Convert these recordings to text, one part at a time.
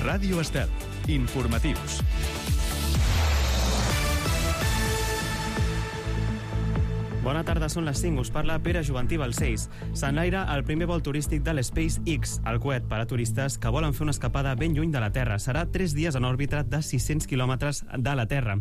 Ràdio Estel. Informatius. Bona tarda, són les 5. Us parla Pere Juventí Balcells. S'enlaira el primer vol turístic de l'SpaceX, el coet per a turistes que volen fer una escapada ben lluny de la Terra. Serà 3 dies en òrbita de 600 quilòmetres de la Terra.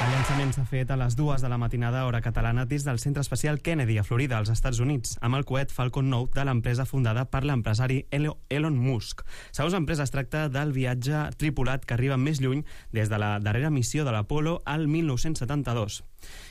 El llançament s'ha fet a les 2 de la matinada hora catalana des del Centre Espacial Kennedy a Florida, als Estats Units, amb el coet Falcon 9 de l'empresa fundada per l'empresari Elon Musk. Segons l'empresa, es tracta del viatge tripulat que arriba més lluny des de la darrera missió de l'Apollo al 1972.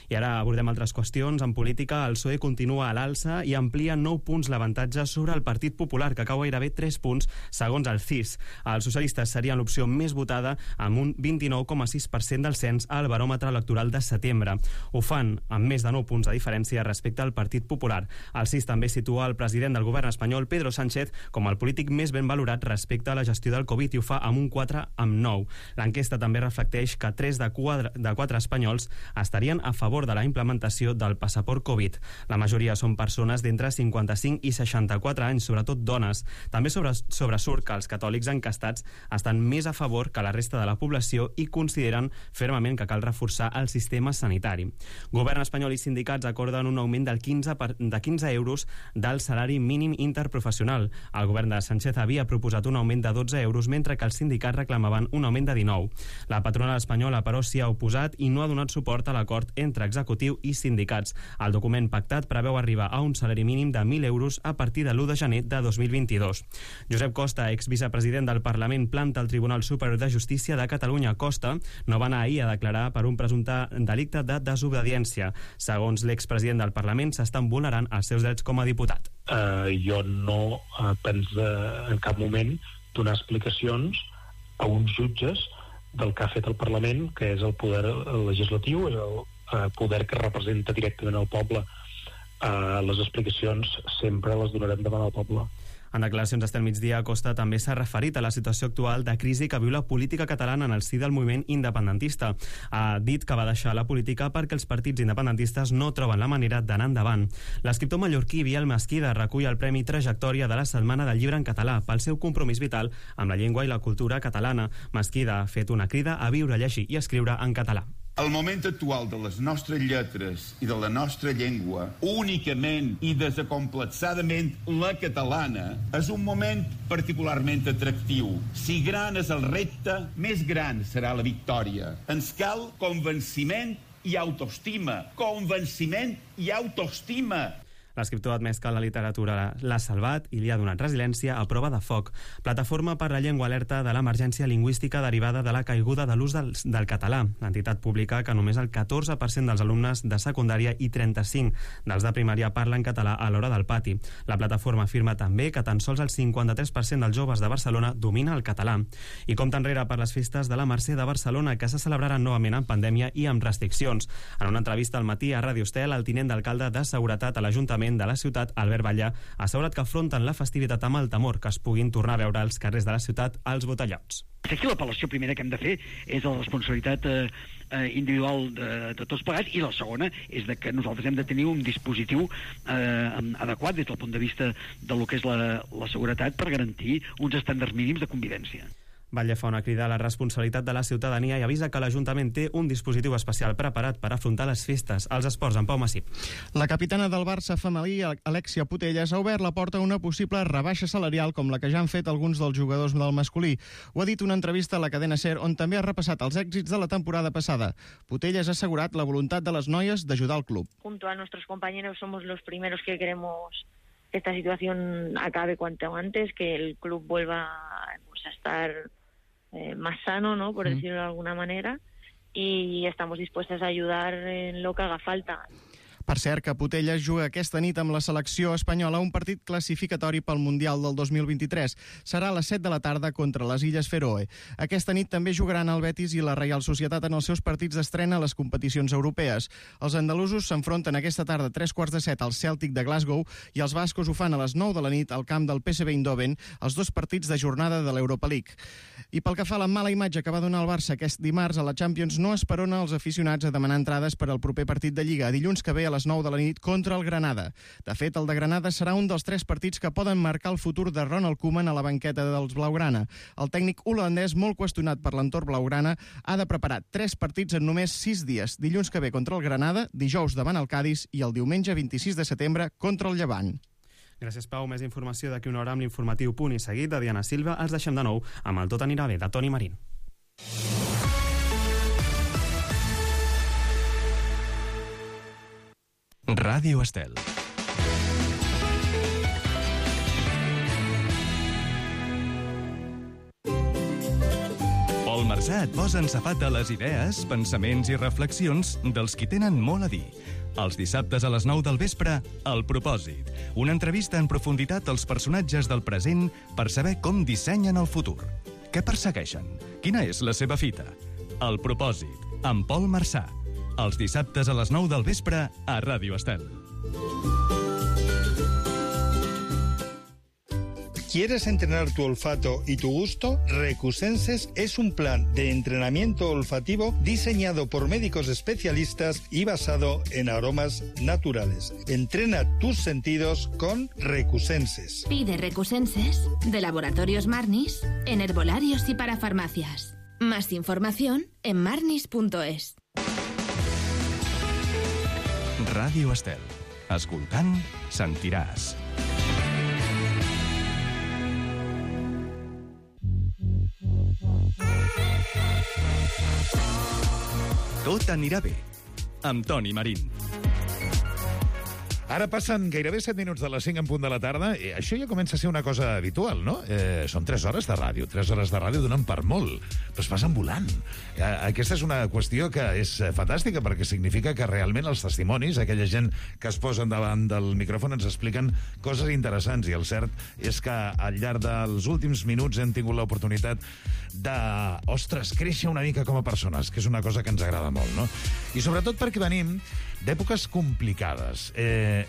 I ara abordem altres qüestions. En política, el PSOE continua a l'alça i amplia 9 punts l'avantatge sobre el Partit Popular, que cau gairebé 3 punts, segons el CIS. Els socialistes serien l'opció més votada, amb un 29,6% del cens al baròmetre electoral de setembre. Ho fan amb més de 9 punts de diferència respecte al Partit Popular. El CIS també situa el president del govern espanyol, Pedro Sánchez, com el polític més ben valorat respecte a la gestió del Covid, i ho fa amb un 4,9. L'enquesta també reflecteix que 3 de 4 espanyols estarien a favor de la implementació del passaport Covid. La majoria són persones d'entre 55 i 64 anys, sobretot dones. També sobresurt que els catòlics encastats estan més a favor que la resta de la població i consideren fermament que cal reforçar el sistema sanitari. Govern espanyol i sindicats acorden un augment de 15 euros del salari mínim interprofessional. El govern de Sánchez havia proposat un augment de 12 euros, mentre que els sindicats reclamaven un augment de 19. La patronal espanyola, però, s'hi ha oposat i no ha donat suport a l'acord entre executiu i sindicats. El document pactat preveu arribar a un salari mínim de 1.000 euros a partir de l'1 de gener de 2022. Josep Costa, exvicepresident del Parlament, planta al Tribunal Superior de Justícia de Catalunya. Costa no va anar ahir a declarar per un presumpte delicte de desobediència. Segons l'expresident del Parlament, s'estan vulnerant els seus drets com a diputat. Jo no penso en cap moment donar explicacions a uns jutges del que ha fet el Parlament, que és el poder legislatiu, és el poder que representa directament el poble. Les explicacions sempre les donarem davant el poble. En declaracions d'Estel Migdia, Costa també s'ha referit a la situació actual de crisi que viu la política catalana en el si del moviment independentista. Ha dit que va deixar la política perquè els partits independentistes no troben la manera d'anar endavant. L'escriptor mallorquí Biel Mesquida recull el Premi Trajectòria de la Setmana del Llibre en Català pel seu compromís vital amb la llengua i la cultura catalana. Mesquida ha fet una crida a viure, llegir i escriure en català. El moment actual de les nostres lletres i de la nostra llengua, únicament i desacomplexadament la catalana, és un moment particularment atractiu. Si gran és el repte, més gran serà la victòria. Ens cal convenciment i autoestima. Convenciment i autoestima. L'escriptor ha admès que la literatura l'ha salvat i li ha donat resiliència a prova de foc. Plataforma per la Llengua alerta de l'emergència lingüística derivada de la caiguda de l'ús del català. L'entitat publica que només el 14% dels alumnes de secundària i 35% dels de primària parlen català a l'hora del pati. La plataforma afirma també que tan sols el 53% dels joves de Barcelona domina el català. I compta enrere per les festes de la Mercè de Barcelona, que se celebraran novament en pandèmia i amb restriccions. En una entrevista al matí a Ràdio Estel, el tinent d'alcalde de Seguretat a l'Ajuntament de la ciutat, Albert Batllà, ha assegurat que afronten la festivitat amb el temor que es puguin tornar a veure als carrers de la ciutat als botellots. Aquí l'apel·lació primera que hem de fer és la responsabilitat individual de tots plegats, i la segona és de que nosaltres hem de tenir un dispositiu adequat des del punt de vista de lo que és la seguretat per garantir uns estàndards mínims de convivència. Batlle fa una crida a la responsabilitat de la ciutadania i avisa que l'Ajuntament té un dispositiu especial preparat per afrontar les festes. Els esports, en Pau Massip. La capitana del Barça femení, Alexia Putellas, ha obert la porta a una possible rebaixa salarial com la que ja han fet alguns dels jugadors del masculí. Ho ha dit una entrevista a la cadena SER, on també ha repassat els èxits de la temporada passada. Putellas ha assegurat la voluntat de les noies d'ajudar el club. Junto a nuestros compañeros somos los primeros que queremos que esta situación acabe cuanto antes, que el club vuelva a estar más sano, ¿no?, por decirlo de alguna manera, y estamos dispuestas a ayudar en lo que haga falta. Per cert, que Putellas juga aquesta nit amb la selecció espanyola un partit classificatori pel Mundial del 2023. Serà a les 7 de la tarda contra les Illes Feroe. Aquesta nit també jugaran el Betis i la Reial Societat en els seus partits d'estrena a les competicions europees. Els andalusos s'enfronten aquesta tarda a 15:45 al Celtic de Glasgow i els bascos ho fan a les 9 de la nit al camp del PSV Eindhoven, els dos partits de jornada de l'Europa League. I pel que fa a la mala imatge que va donar el Barça aquest dimarts a la Champions, no esperona els aficionats a demanar entrades per al proper partit de Lliga, dilluns que ve a les 9 de la nit contra el Granada. De fet, el de Granada serà un dels 3 partits que poden marcar el futur de Ronald Koeman a la banqueta dels blaugrana. El tècnic holandès, molt qüestionat per l'entorn blaugrana, ha de preparar 3 partits en només 6 dies. Dilluns que ve contra el Granada, dijous davant el Cádiz i el diumenge 26 de setembre contra el Llevant. Gràcies, Pau. Més informació d'aquí una hora amb l'informatiu Punt i Seguit de Diana Silva. Els deixem de nou amb el Tot anirà bé, de Toni Marín. Ràdio Estel. Pol Marsà et posa en safata les idees, pensaments i reflexions dels qui tenen molt a dir. Els dissabtes a les 9 del vespre, El Propòsit. Una entrevista en profunditat als personatges del present per saber com dissenyen el futur. Què persegueixen? Quina és la seva fita? El Propòsit, amb Pol Marsà. Els dissabtes a les 9 del vespre a Ràdio Estel. ¿Quieres entrenar tu olfato y tu gusto? Recusenses es un plan de entrenamiento olfativo diseñado por médicos especialistas y basado en aromas naturales. Entrena tus sentidos con Recusenses. Pide Recusenses de Laboratorios Marnis en herbolarios y para farmacias. Más información en marnis.es. Ràdio Estel. Escoltant, sentiràs. Tot anirà bé, amb Toni Marín. Ara passen gairebé 7 minuts de les 5 en punt de la tarda. Això ja comença a ser una cosa habitual, no? Són 3 hores de ràdio. 3 hores de ràdio donen per molt, però es passen volant. Aquesta és una qüestió que és fantàstica, perquè significa que realment els testimonis, aquella gent que es posen davant del micròfon, ens expliquen coses interessants. I el cert és que al llarg dels últims minuts hem tingut l'oportunitat de, ostres, créixer una mica com a persones, que és una cosa que ens agrada molt, no? I sobretot perquè venim d'èpoques complicades.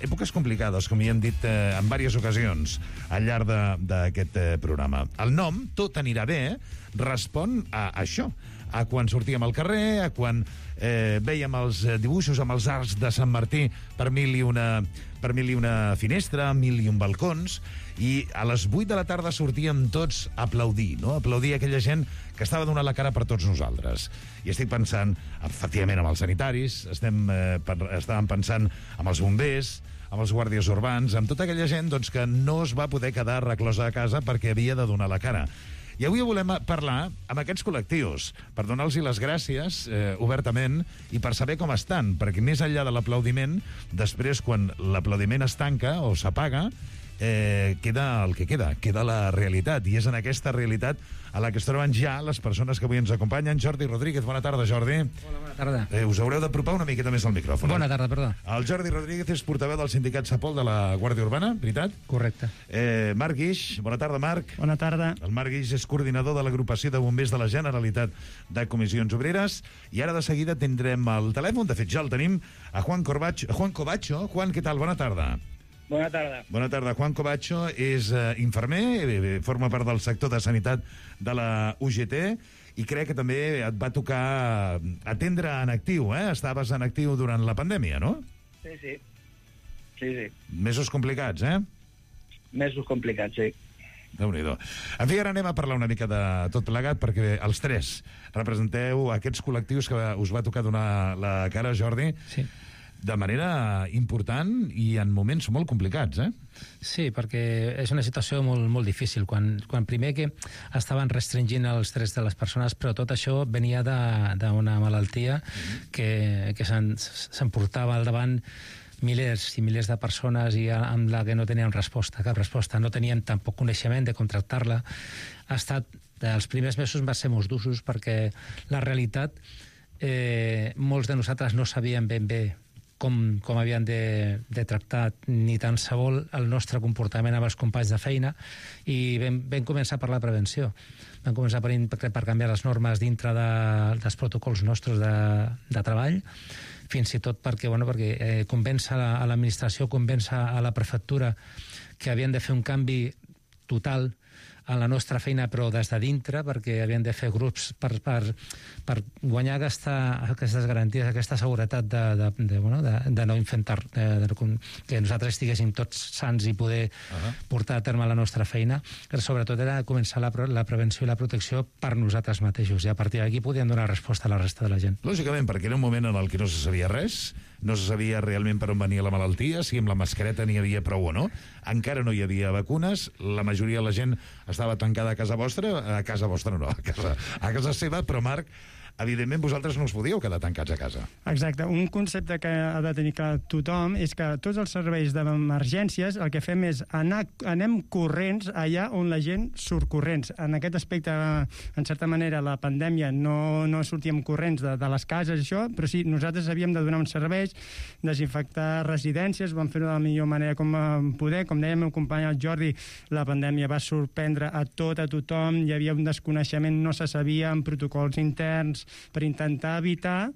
Èpoques complicades, com hi hem dit en diverses ocasions al llarg d'aquest programa. El nom, Tot anirà bé, respon a això, a quan sortíem al carrer, a quan veiem els dibuixos amb els arcs de Sant Martí per mil i una finestra, 1001 balcons, i a les 8 de la tarda sortíem tots a aplaudir, no? Aplaudir aquella gent que estava donant la cara per tots nosaltres. I estic pensant, efectivament, amb els sanitaris, estàvem pensant amb els bombers, amb els guàrdies urbans, amb tota aquella gent doncs, que no es va poder quedar reclosa a casa perquè havia de donar la cara. I avui volem parlar amb aquests col·lectius per donar-los les gràcies obertament i per saber com estan, perquè més enllà de l'aplaudiment, després, quan l'aplaudiment es tanca o s'apaga, queda el que queda la realitat, i és en aquesta realitat a la que es troben ja les persones que avui ens acompanyen. Jordi Rodríguez, bona tarda, Jordi. Hola, bona tarda. Us haureu d'apropar una miqueta més al micròfon. Bona tarda, perdó. El Jordi Rodríguez és portaveu del sindicat Sapol de la Guàrdia Urbana, veritat? Correcte. Marc Guix, bona tarda, Marc. Bona tarda. El Marc Guix és coordinador de l'agrupació de bombers de la Generalitat de Comissions Obreres, i ara de seguida tindrem al telèfon, de fet ja el tenim, a Juan Covacho. Juan, què tal? Bona tarda. Bona tarda. Bona tarda. Juan Covacho és infermer, forma part del sector de sanitat de la UGT, i crec que també et va tocar atendre en actiu, Estaves en actiu durant la pandèmia, no? Sí. Mesos complicats, Mesos complicats, sí. Déu-n'hi-do. En fi, ara anem a parlar una mica de tot plegat, perquè els 3 representeu aquests col·lectius que us va tocar donar la cara, Jordi. Sí. De manera important i en moments molt complicats, Sí, perquè és una situació molt, molt difícil. Quan primer que estaven restringint els drets de les persones, però tot això venia d'una malaltia que s'emportava al davant milers i milers de persones i amb la que no tenien cap resposta. No tenien tampoc coneixement de com tractar-la. Els primers mesos van ser molt durs perquè la realitat, molts de nosaltres no sabíem ben bé com havien de tractar ni tan sols el nostre comportament amb els companys de feina, i vam començar per la prevenció. Vam començar per canviar les normes dintre dels protocols nostres de treball, fins i tot perquè convèncer a l'administració, convèncer a la prefectura que havien de fer un canvi total a la nostra feina, però des de dintre, perquè havien de fer grups per guanyar aquestes garanties, aquesta seguretat de no infectar, que nosaltres estiguéssim tots sants i poder portar a terme la nostra feina. Però sobretot era començar la prevenció i la protecció per nosaltres mateixos, i a partir d'aquí podíem donar resposta a la resta de la gent. Lògicament, perquè era un moment en el que no se sabia res, no se sabia realment per on venia la malaltia, si amb la mascareta n'hi havia prou o no, encara no hi havia vacunes, la majoria de la gent estava tancada a casa seva, però Marc, evidentment vosaltres no us podíeu quedar tancats a casa. Exacte. Un concepte que ha de tenir clar tothom és que tots els serveis d'emergències el que fem és anem corrents allà on la gent surt corrents. En aquest aspecte, en certa manera, la pandèmia no sortíem corrents de les cases, això, però sí, nosaltres havíem de donar uns serveis, desinfectar residències, vam fer-ho de la millor manera com poder. Com deia el meu company el Jordi, la pandèmia va sorprendre a tothom, hi havia un desconeixement, no se sabia, en protocols interns, per intentar evitar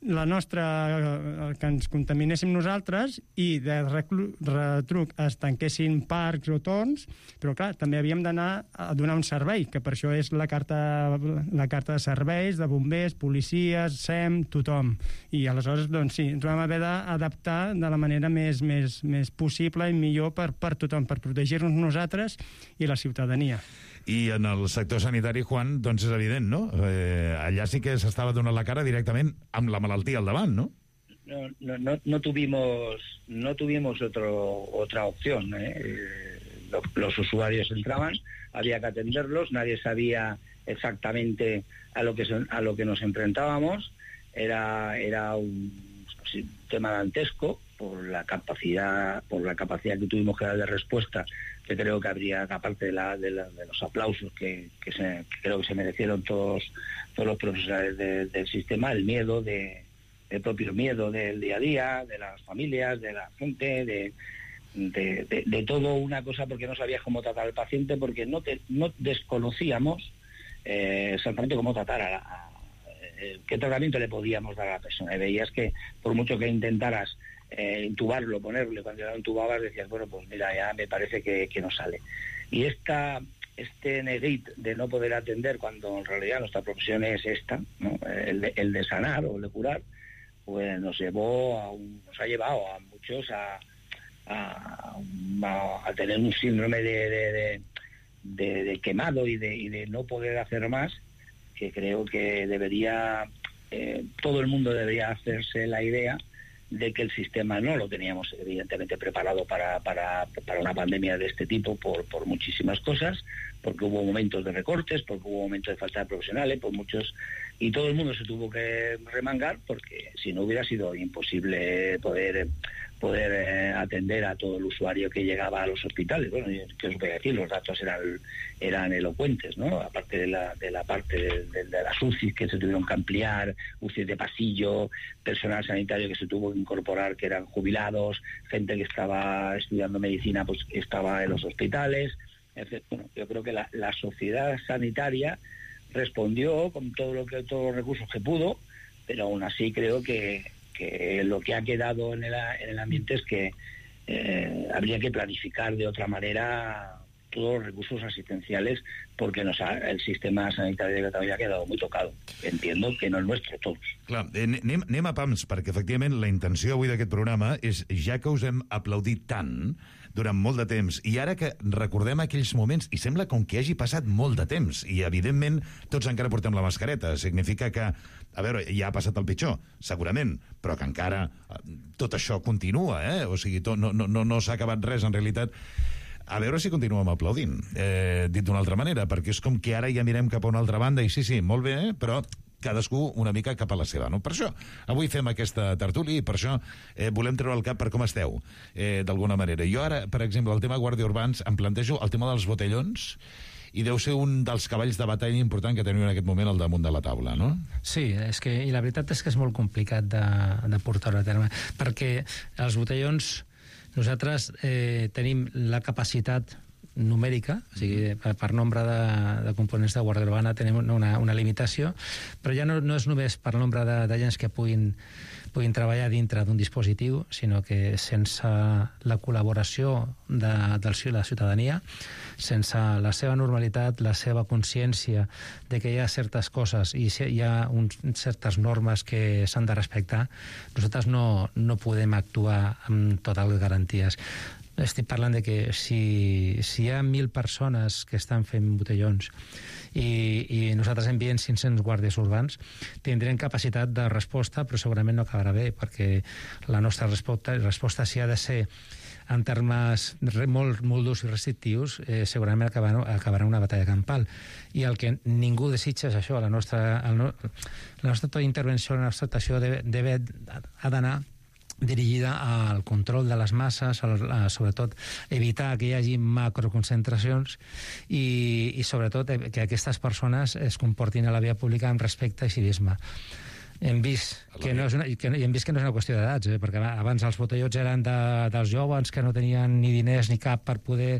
que ens contaminéssim nosaltres i de retruc es tanquessin parcs o torns, però clar, també havíem d'anar a donar un servei, que per això és la carta de serveis, de bombers, policies, SEM, tothom. I aleshores, doncs sí, ens vam haver d'adaptar de la manera més possible i millor per tothom, per protegir-nos nosaltres i la ciutadania. I en el sector sanitari, Juan, doncs és evident, no? Allà sí que s'estava donant la cara directament amb la malaltia al davant, ¿no? No tuvimos otra opción. Los usuarios entraban, había que atenderlos, nadie sabía exactamente a lo que nos enfrentábamos. Era un tema dantesco por la capacidad que tuvimos que dar de respuesta, que creo que habría, aparte de los aplausos que creo que se merecieron todos los profesionales del sistema, el propio miedo del día a día, de las familias, de la gente, de todo una cosa, porque no sabías cómo tratar al paciente, porque no desconocíamos exactamente cómo tratar qué tratamiento le podíamos dar a la persona. Y veías que por mucho que intentaras intubarlo, ponerle, cuando ya lo intubabas decías, bueno, pues mira, ya me parece que no sale. Y este neguit de no poder atender, cuando en realidad nuestra profesión es esta, ¿no? el de sanar o el de curar, pues nos ha llevado a muchos a tener un síndrome de quemado y de no poder hacer más, que creo que todo el mundo debería hacerse la idea de que el sistema no lo teníamos evidentemente preparado para una pandemia de este tipo por muchísimas cosas, porque hubo momentos de recortes, porque hubo momentos de falta de profesionales, y todo el mundo se tuvo que remangar, porque si no hubiera sido imposible poder atender a todo el usuario que llegaba a los hospitales. Bueno, ¿qué os voy a decir? Los datos eran elocuentes, ¿no? Aparte de la parte de las UCIs que se tuvieron que ampliar, UCIs de pasillo, personal sanitario que se tuvo que incorporar, que eran jubilados, gente que estaba estudiando medicina, pues estaba en los hospitales. Bueno, yo creo que la sociedad sanitaria respondió con todos los recursos que pudo, pero aún así creo que lo que ha quedado en el ambiente es que habría que planificar de otra manera todos los recursos asistenciales, porque el sistema sanitari de Catalunya ha quedat molt tocado. Entiendo que no és nuestro, tots. Clar, anem a pams, perquè efectivament la intenció avui d'aquest programa és, ja que us hem aplaudit tant durant molt de temps, i ara que recordem aquells moments, i sembla com que hagi passat molt de temps, i evidentment tots encara portem la mascareta, significa que, a veure, ja ha passat el pitjor, segurament, però que encara tot això continua, o sigui, no s'ha acabat res en realitat. A veure si continuem aplaudint, dit d'una altra manera, perquè és com que ara ja mirem cap a una altra banda, i sí, molt bé, però cadascú una mica cap a la seva, no? Per això avui fem aquesta tertúlia i per això volem treure el cap per com esteu, d'alguna manera. Jo ara, per exemple, el tema Guàrdia Urbans, em plantejo el tema dels botellons, i deu ser un dels cavalls de batalla important que teniu en aquest moment al damunt de la taula, no? Sí, i la veritat és que és molt complicat de portar-ho a terme, perquè els botellons nosaltres tenim la capacitat numèrica, o sigui, per nombre de components de Guàrdia Urbana tenim una limitació, però ja no és només per nombre d'agents que puguin treballar dintre d'un dispositiu, sinó que sense la col·laboració de la ciutadania, sense la seva normalitat, la seva consciència de que hi ha certes coses i hi ha certes normes que s'han de respectar, nosaltres no podem actuar amb totes les garanties. Estic parlant de que si hi ha 1.000 persones que estan fent botellons i nosaltres enviem 500 guàrdies urbans, tindrem capacitat de resposta, però segurament no acabarà bé, perquè la nostra resposta si ha de ser en termes molt durs i restrictius, segurament acabarà una batalla campal. I el que ningú desitja és això. La nostra intervenció, la nostra actuació ha d'anar dirigida al control de les masses, sobretot evitar que hi hagi macroconcentracions i sobretot que aquestes persones es comportin a la via pública amb respecte i civisme. Hem vist que no és una qüestió d'edats, perquè abans els botellons eren dels joves que no tenien ni diners ni cap per poder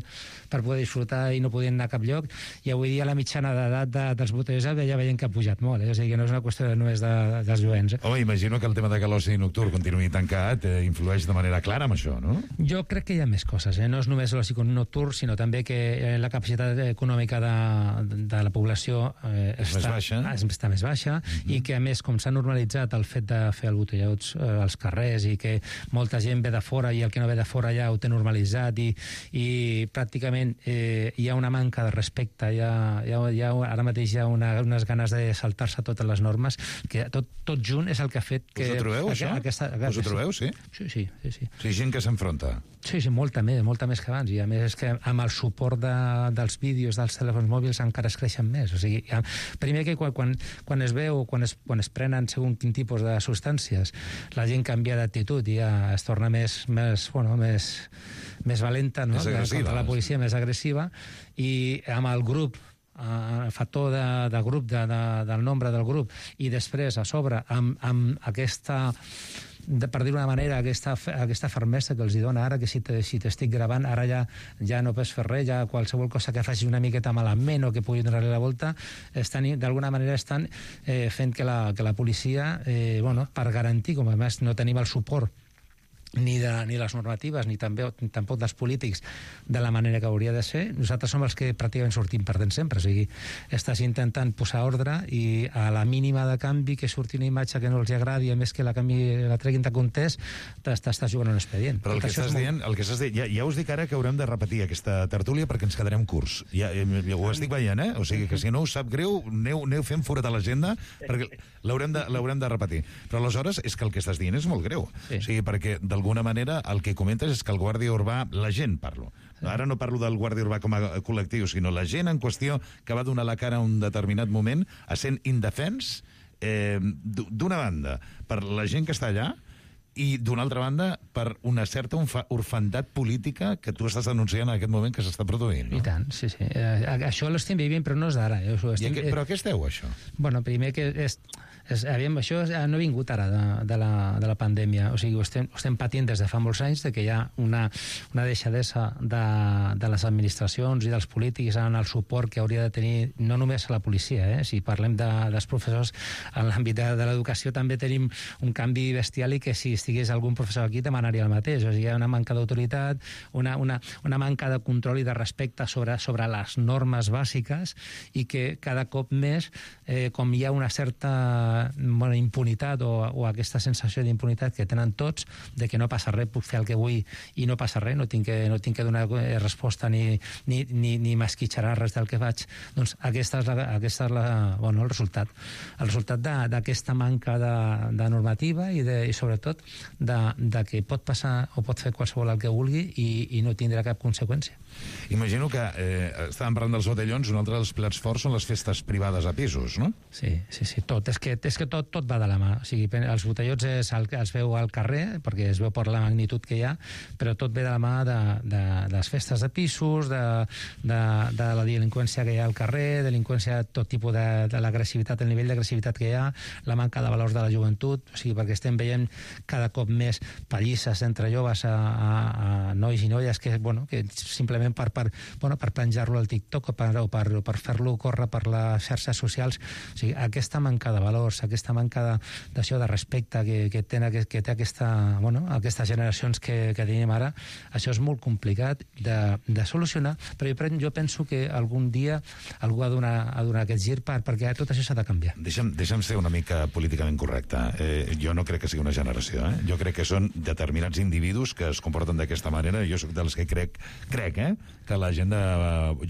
disfrutar i no podien anar a cap lloc, i avui dia la mitjana d'edat dels botellons ja veiem que ha pujat molt, o sigui que no és una qüestió només dels jovents. Home, imagino que el tema de que l'oci nocturn continuï tancat influeix de manera clara amb això, no? Jo crec que hi ha més coses, no és només l'oci nocturn, sinó també que la capacitat econòmica de la població està més baixa, i que a més, com s'ha normalitzat el fet de fer el botellots als carrers i que molta gent ve de fora i el que no ve de fora ja ho té normalitzat i pràcticament hi ha una manca de respecte, ara mateix hi ha unes ganes de saltar-se totes les normes, que tot junt és el que ha fet que... Us ho trobeu, això? Us ho trobeu, sí? Sí. Sí, gent que s'enfronta. Sí, molta més que abans, i a més és que amb el suport dels vídeos dels telèfons mòbils encara es creixen més. O sigui, primer que quan es veu, quan es prenen segons quin tipus de substàncies, la gent canvia d'actitud i ja es torna més valenta, no? Contra la policia, més agressiva, i amb el grup, el factor de grup, del nombre del grup, i després a sobre amb aquesta, per dir d'una manera, aquesta fermesa que els dona ara, que si t'estic gravant ara ja no pots fer res, ja qualsevol cosa que faci una miqueta malament o que pugui donar-li la volta, d'alguna manera estan fent que la policia, per garantir, com a més no tenim el suport ni les normatives, ni tampoc dels polítics de la manera que hauria de ser, nosaltres som els que pràcticament sortim perdent sempre. O sigui, estàs intentant posar ordre i a la mínima de canvi que surti una imatge que no els agradi, a més que la treguin de context, t'estàs jugant un expedient. Però el que estàs dient, ja us dic ara que haurem de repetir aquesta tertúlia perquè ens quedarem curts. Ja ho estic veient, O sigui que si no us sap greu, aneu fent forat a l'agenda perquè l'haurem de repetir. Però aleshores és que el que estàs dient és molt greu. O sigui, perquè d'alguna manera el que comentes és que el guàrdia urbà, la gent parlo, ara no parlo del guàrdia urbà com a col·lectiu, sinó la gent en qüestió que va donar la cara en un determinat moment a sent indefens, d'una banda per la gent que està allà i d'una altra banda per una certa orfandat política que tu estàs denunciant en aquest moment que s'està produint, no? I tant, sí. Això l'estem vivint, però no és d'ara. Però a què es deu, això? Bueno, primer que això no ha vingut ara de la pandèmia, o sigui, ho estem patint des de fa molts anys, de que hi ha una deixadesa de les administracions i dels polítics en el suport que hauria de tenir no només a la policia, si parlem dels professors en l'àmbit de l'educació també tenim un canvi bestial i que si estigués algun professor aquí demanaria el mateix, o sigui, hi ha una manca d'autoritat, una manca de control i de respecte sobre les normes bàsiques, i que cada cop més, com hi ha una certa impunitat o aquesta sensació d'impunitat que tenen tots, de que no passa res, puc fer el que vull i no passa res, no tinc que donar resposta ni m'esquitxarà res del que faig, doncs aquest és el resultat. El resultat d'aquesta manca de normativa i sobretot de que pot passar o pot fer qualsevol el que vulgui i no tindrà cap conseqüència. Imagino que estàvem parlant dels botellons, un altre dels plats forts són les festes privades a pisos, no? Sí, tot. És que és que tot va de la mà. O sigui, els botellots els veu al carrer, perquè es veu per la magnitud que hi ha, però tot ve de la mà de les festes de pisos, de la delinqüència que hi ha al carrer, delinqüència, tot tipus de l'agressivitat, el nivell d'agressivitat que hi ha, la manca de valors de la joventut, o sigui, perquè estem veient cada cop més pallisses entre joves a nois i noies que simplement per penjar-lo al TikTok o per fer-lo córrer per les xarxes socials. O sigui, aquesta manca de valors, aquesta manca d'això de respecte que té aquestes generacions que tenim ara, això és molt complicat de solucionar, però jo penso que algun dia algú ha de donar aquest gir perquè tot això s'ha de canviar. Deixa'm ser una mica políticament correcte. Jo no crec que sigui una generació. Jo crec que són determinats individus que es comporten d'aquesta manera. Jo soc dels que crec que la gent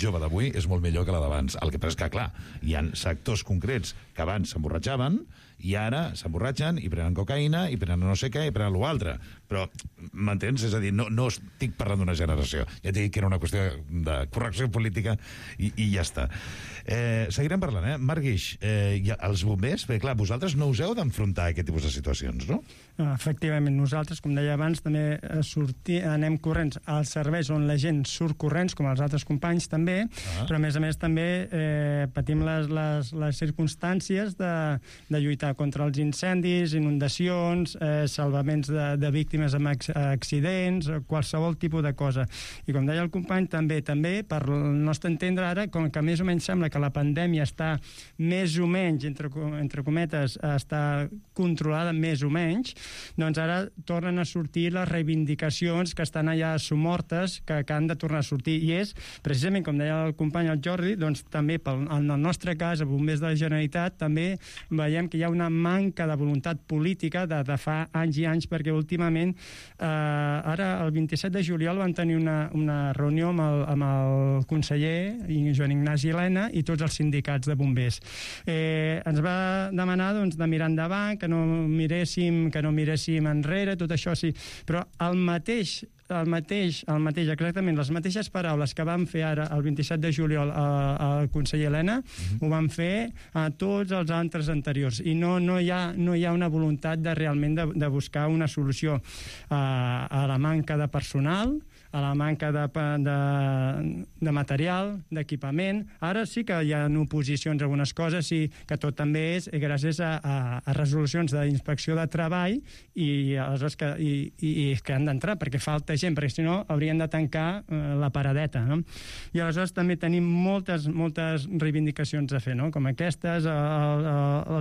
jove d'avui és molt millor que la d'abans. El que passa és que, clar, hi ha sectors concrets que abans s'emborratxaven i ara s'emborratxen i prenen cocaïna i prenen no sé què i prenen l'altre. Però, m'entens? És a dir, no estic parlant d'una generació. Ja t'he dit que era una qüestió de correcció política i ja està. Seguirem parlant, Marc Guix, els bombers, perquè clar, vosaltres no us heu d'enfrontar a aquest tipus de situacions, no? Efectivament, nosaltres, com deia abans, també anem corrents als serveis on la gent surt corrents, com els altres companys també, però a més també patim les circumstàncies de lluitar contra els incendis, inundacions, salvaments de víctimes amb accidents, qualsevol tipus de cosa. I com deia el company, també per el nostre entendre ara, com que més o menys sembla que la pandèmia està més o menys, entre cometes, està controlada més o menys, doncs ara tornen a sortir les reivindicacions que estan allà somortes, que han de tornar a sortir. I és, precisament, com deia el company el Jordi, doncs també en el nostre cas, a Bombers de la Generalitat, també veiem que hi ha una manca de voluntat política de fa anys i anys, perquè últimament, ara el 27 de juliol van tenir una reunió amb el conseller Joan Ignasi Elena i tots els sindicats de bombers. Ens va demanar de mirar endavant, que no miréssim enrere, tot això sí, però el mateix, exactament, les mateixes paraules que van fer ara el 27 de juliol al conseller Elena, ho van fer a tots els altres anteriors, i no hi ha una voluntat realment de buscar una solució a la manca de personal, a la manca de material, d'equipament. Ara sí que hi ha oposicions a algunes coses, i que tot també és gràcies a resolucions d'inspecció de treball i que han d'entrar, perquè falta gent, perquè si no haurien de tancar la paradeta, no? I aleshores també tenim moltes reivindicacions a fer, no? Com aquestes,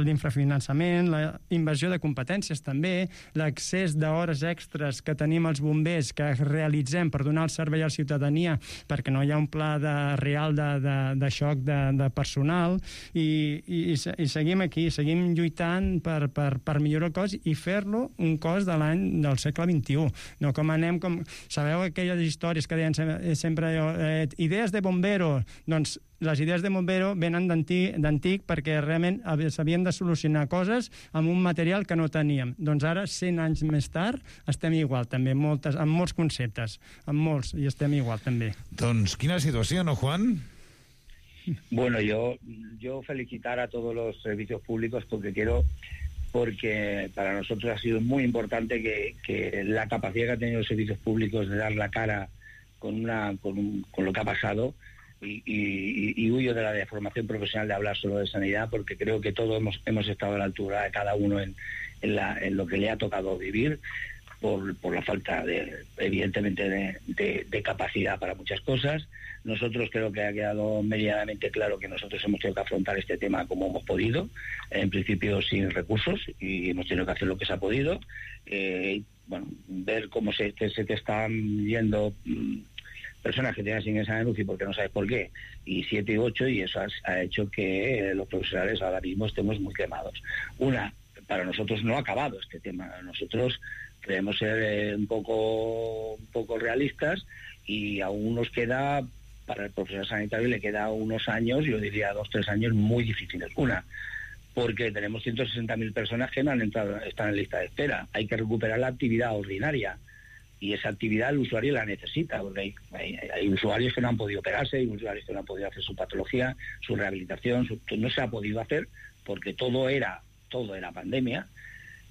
l'infrafinançament, la invasió de competències també, l'accés d'hores extres que tenim els bombers que realitzem per donar el servei a la ciutadania, perquè no hi ha un pla real de xoc de personal, i seguim aquí, seguim lluitant per millorar el cos i fer-lo un cos del segle XXI. No com anem, sabeu aquelles històries que deien sempre idees de bombero? Doncs les idees de bombero venen d'antic perquè realment s'havien de solucionar coses amb un material que no teníem. Doncs ara, 100 anys més tard, estem igual també, amb molts conceptes, i estem igual també. Doncs quina situació, no, Juan? Bueno, yo felicitar a todos los servicios públicos porque para nosotros ha sido muy importante que la capacidad que han tenido los servicios públicos de dar la cara con lo que ha pasado, y huyo de la deformación profesional de hablar solo de sanidad, porque creo que todos hemos estado a la altura de cada uno en lo que le ha tocado vivir, por la falta evidentemente de capacidad para muchas cosas. Nosotros creo que ha quedado medianamente claro que nosotros hemos tenido que afrontar este tema como hemos podido, en principio sin recursos, y hemos tenido que hacer lo que se ha podido. Ver cómo se te están yendo personas que tienen asignación en UCI porque no sabes por qué, y 7 y 8, y eso ha hecho que los profesionales ahora mismo estemos muy quemados. Para nosotros no ha acabado este tema. Nosotros queremos ser un poco realistas, y aún nos queda, para el profesional sanitario le queda unos años, yo diría 2-3 años muy difíciles. Porque tenemos 160.000 personas que no han entrado, están en lista de espera. Hay que recuperar la actividad ordinaria, y esa actividad el usuario la necesita, porque hay usuarios que no han podido operarse, hay usuarios que no han podido hacer su patología, su rehabilitación, no se ha podido hacer porque todo era todo en la pandemia.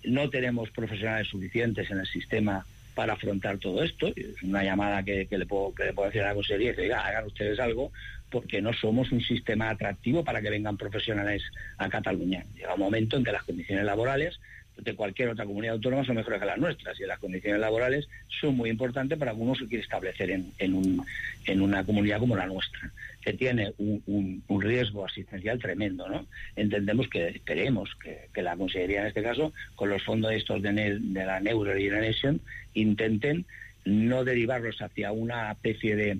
No tenemos profesionales suficientes en el sistema para afrontar todo esto. Es una llamada que le puedo decir a la consejería, y decir, hagan ustedes algo, porque no somos un sistema atractivo para que vengan profesionales a Cataluña. Llega un momento en que las condiciones laborales de cualquier otra comunidad autónoma son mejores que las nuestras, y las condiciones laborales son muy importantes para uno se quiere establecer en una comunidad como la nuestra, que tiene un riesgo asistencial tremendo, ¿no? Esperemos que la Consellería, en este caso, con los fondos estos de la Neuro Generation, intenten no derivarlos hacia una especie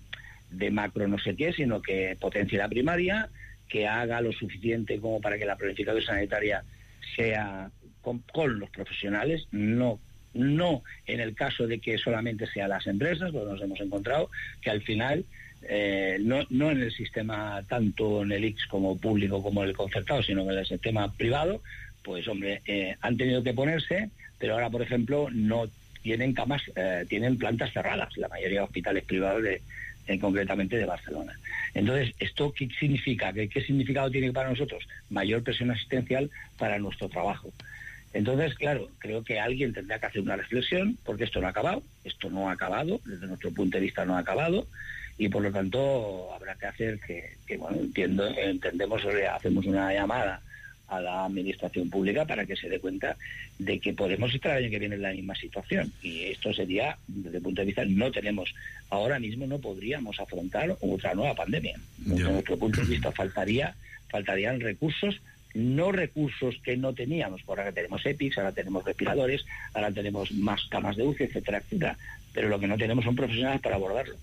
de macro no sé qué, sino que potencie la primaria, que haga lo suficiente como para que la planificación sanitaria sea con los profesionales, no en el caso de que solamente sean las empresas, porque nos hemos encontrado que al final no en el sistema, tanto en el ICS como público como el concertado, sino en el sistema privado, pues hombre, han tenido que ponerse, pero ahora por ejemplo no tienen camas, tienen plantas cerradas, la mayoría de hospitales privados concretamente de Barcelona. Entonces, ¿esto qué significa? ¿Qué significado tiene para nosotros? Mayor presión asistencial para nuestro trabajo. Entonces, claro, creo que alguien tendrá que hacer una reflexión, porque esto no ha acabado, desde nuestro punto de vista no ha acabado, y por lo tanto habrá que hacer hacemos una llamada a la administración pública para que se dé cuenta de que podemos estar el año que viene en la misma situación, y esto sería, desde el punto de vista, ahora mismo no podríamos afrontar otra nueva pandemia. Desde nuestro punto de vista faltarían recursos, no recursos que no teníamos, porque ahora tenemos EPIs, ahora tenemos respiradores, ahora tenemos más camas de UCI, etcétera, etcétera, pero lo que no tenemos son profesionales para abordarlo.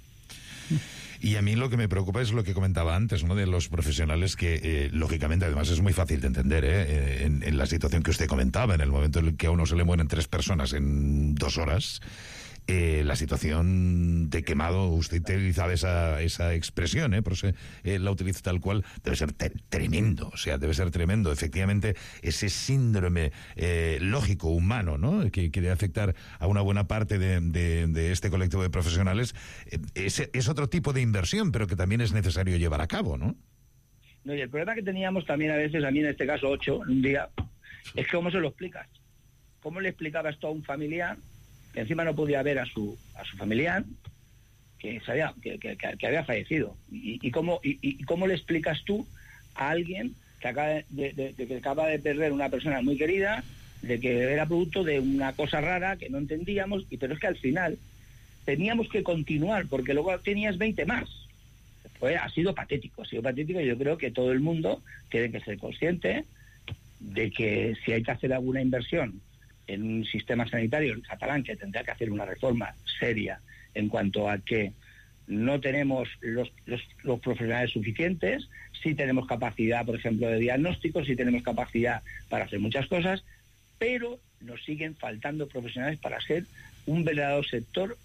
Y a mí lo que me preocupa es lo que comentaba antes, ¿no?, de los profesionales que, lógicamente, además es muy fácil de entender, en la situación que usted comentaba, en el momento en el que a uno se le mueren 3 personas en 2 horas, la situación de quemado, usted utilizaba esa expresión, por eso la utilizo tal cual, debe ser tremendo, debe ser tremendo. Efectivamente, ese síndrome lógico, humano, ¿no?, que debe afectar a una buena parte de este colectivo de profesionales, es otro tipo de inversión, pero que también es necesario llevar a cabo, ¿no? No, y el problema que teníamos también a veces, a mí en este caso 8, un día, es que ¿cómo se lo explicas? ¿Cómo le explicabas esto a un familiar que encima no podía ver a su familiar que había fallecido? ¿Y cómo le explicas tú a alguien que acaba de perder una persona muy querida, de que era producto de una cosa rara que no entendíamos, pero es que al final teníamos que continuar porque luego tenías 20 más? Ha sido patético, y yo creo que todo el mundo tiene que ser consciente de que si hay que hacer alguna inversión en un sistema sanitario catalán, que tendrá que hacer una reforma seria en cuanto a que no tenemos los profesionales suficientes, sí tenemos capacidad, por ejemplo, de diagnóstico, sí tenemos capacidad para hacer muchas cosas, pero nos siguen faltando profesionales para ser un verdadero sector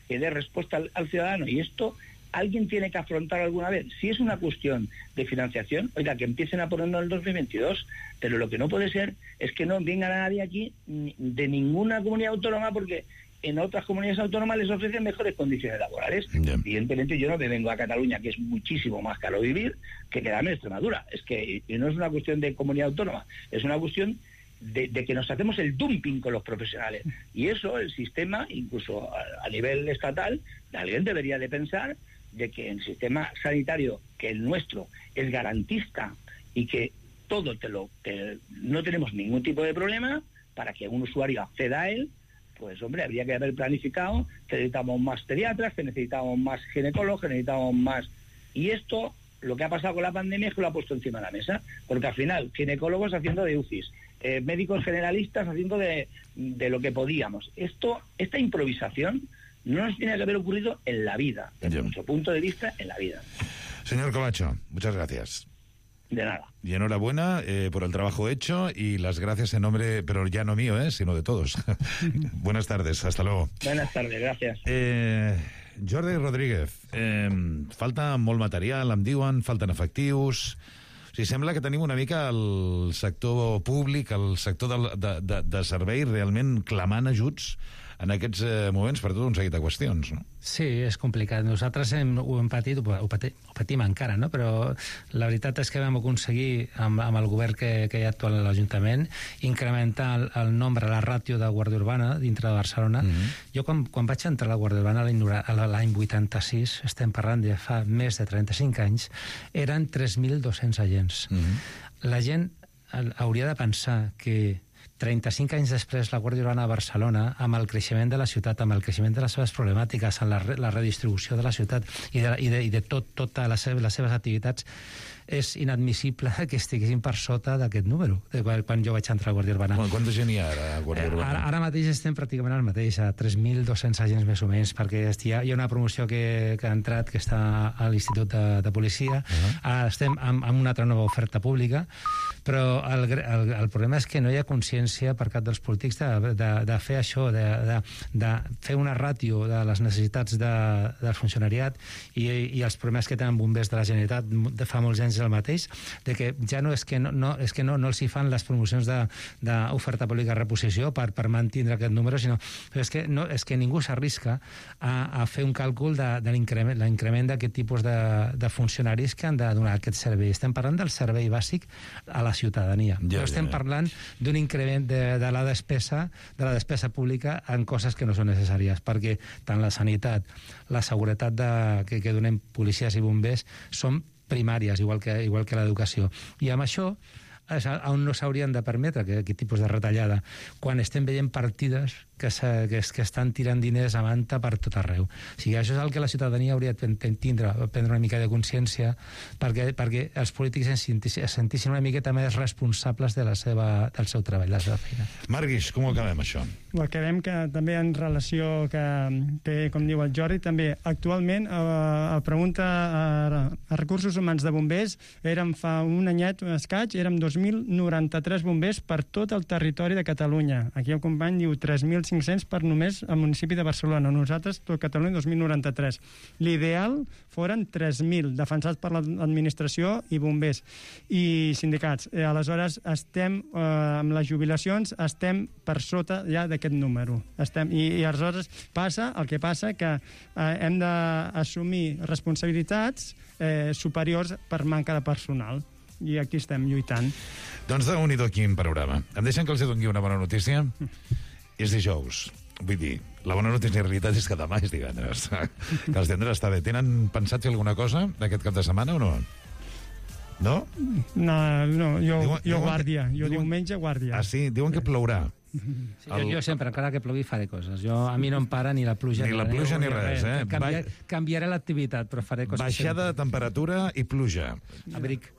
que dé respuesta al ciudadano, y esto alguien tiene que afrontar alguna vez. Si es una cuestión de financiación, oiga, que empiecen a ponerlo en el 2022, pero lo que no puede ser es que no venga nadie aquí de ninguna comunidad autónoma, porque en otras comunidades autónomas les ofrecen mejores condiciones laborales. Evidentemente yo no me vengo a Cataluña, que es muchísimo más caro vivir, que quedarme en Extremadura. Es que no es una cuestión de comunidad autónoma, es una cuestión de que nos hacemos el dumping con los profesionales. Y eso, el sistema, incluso a nivel estatal, alguien debería de pensar de que el sistema sanitario, que el nuestro es garantista y que todo no tenemos ningún tipo de problema para que un usuario acceda a él, pues hombre, habría que haber planificado que necesitamos más pediatras, que necesitamos más ginecólogos, que necesitamos más... Y esto, lo que ha pasado con la pandemia es que lo ha puesto encima de la mesa, porque al final, ginecólogos haciendo de UCIs, médicos generalistas haciendo de lo que podíamos. Esta improvisación no nos tiene que haber ocurrido en la vida, desde nuestro punto de vista, en la vida. Señor Covacho, muchas gracias. De nada. Y enhorabuena por el trabajo hecho, y las gracias en nombre, pero ya no mío, sino de todos. Buenas tardes, hasta luego. Buenas tardes, gracias. Jordi Rodríguez, falta molt material, em diuen, falten efectius... O sigui, sembla que tenim una mica el sector públic, el sector de servei, realment clamant ajuts en aquests moments per tot un seguit de qüestions, no? Sí, és complicat. Nosaltres ho hem patit, ho patim encara, no? Però la veritat és que vam aconseguir, amb el govern que hi ha actual a l'Ajuntament, incrementar el nombre, la ràtio de Guàrdia Urbana dintre de Barcelona. Jo, quan vaig entrar a la Guàrdia Urbana l'any 86, estem parlant de fa més de 35 anys, eren 3.200 agents. La gent hauria de pensar que 35 anys després la Guàrdia Urbana de Barcelona, amb el creixement de la ciutat, amb el creixement de les seves problemàtiques, amb la redistribució de la ciutat i de totes les seves activitats, és inadmissible que estiguessin per sota d'aquest número, quan jo vaig entrar a la Guàrdia Urbana. Quanta gent hi ha ara a la Guàrdia Urbana? Ara mateix estem pràcticament al mateix, a 3.200 agents més o menys, perquè hi ha una promoció que ha entrat, que està a l'Institut de Policia. Estem amb una altra nova oferta pública, però el problema és que no hi ha consciència per cap dels polítics de fer això, de fer una ràtio de les necessitats del funcionariat i els problemes que tenen bombers de la Generalitat de fa molts anys el mateix, de que ja no és que no els hi fan les promocions d'oferta pública de reposició per mantindre aquest número, sinó és que ningú s'arrisca a fer un càlcul de l'increment d'aquest tipus de funcionaris que han de donar aquest servei. Estem parlant del servei bàsic a la ciutadania. No estem parlant d'un increment de la despesa pública en coses que no són necessàries, perquè tant la sanitat, la seguretat que donem policies i bombers són primàries, igual que l'educació. I amb això on no s'haurien de permetre aquest tipus de retallada, quan estem veient partides que estan tirant diners a manta per tot arreu. O sigui, això és el que la ciutadania hauria de prendre una mica de consciència perquè els polítics es sentissin una miqueta més responsables del seu treball, de la seva feina. Marguix, com ho acabem, això? Ho acabem que també en relació que com diu el Jordi, també actualment a pregunta a recursos humans de bombers érem fa un anyet, un escaig, érem 2.093 bombers per tot el territori de Catalunya. Aquí el company diu 3.500 per només al municipi de Barcelona. Nosaltres, tot Catalunya, 2.093. L'ideal foren 3.000, defensats per l'administració i bombers i sindicats. Aleshores, estem, amb les jubilacions, estem per sota ja d'aquest número. I aleshores el que passa que hem d'assumir responsabilitats superiors per manca de personal. I aquí estem lluitant. Doncs déu-n'hi-do quin panorama. Em deixen que els doni una bona notícia? És dijous. Vull dir, la bona notícia en realitat és que demà és divendres. Que els divendres està bé. Tenen pensat fer alguna cosa d'aquest cap de setmana o no? No? No, jo guàrdia. Jo diumenge guàrdia. Ah, sí? Diuen que plourà. Sí, jo sempre, encara que plogui, faré coses. A mi no em para ni la pluja ni res. Canviaré l'activitat, però faré coses. Baixada de temperatura i pluja. Abric.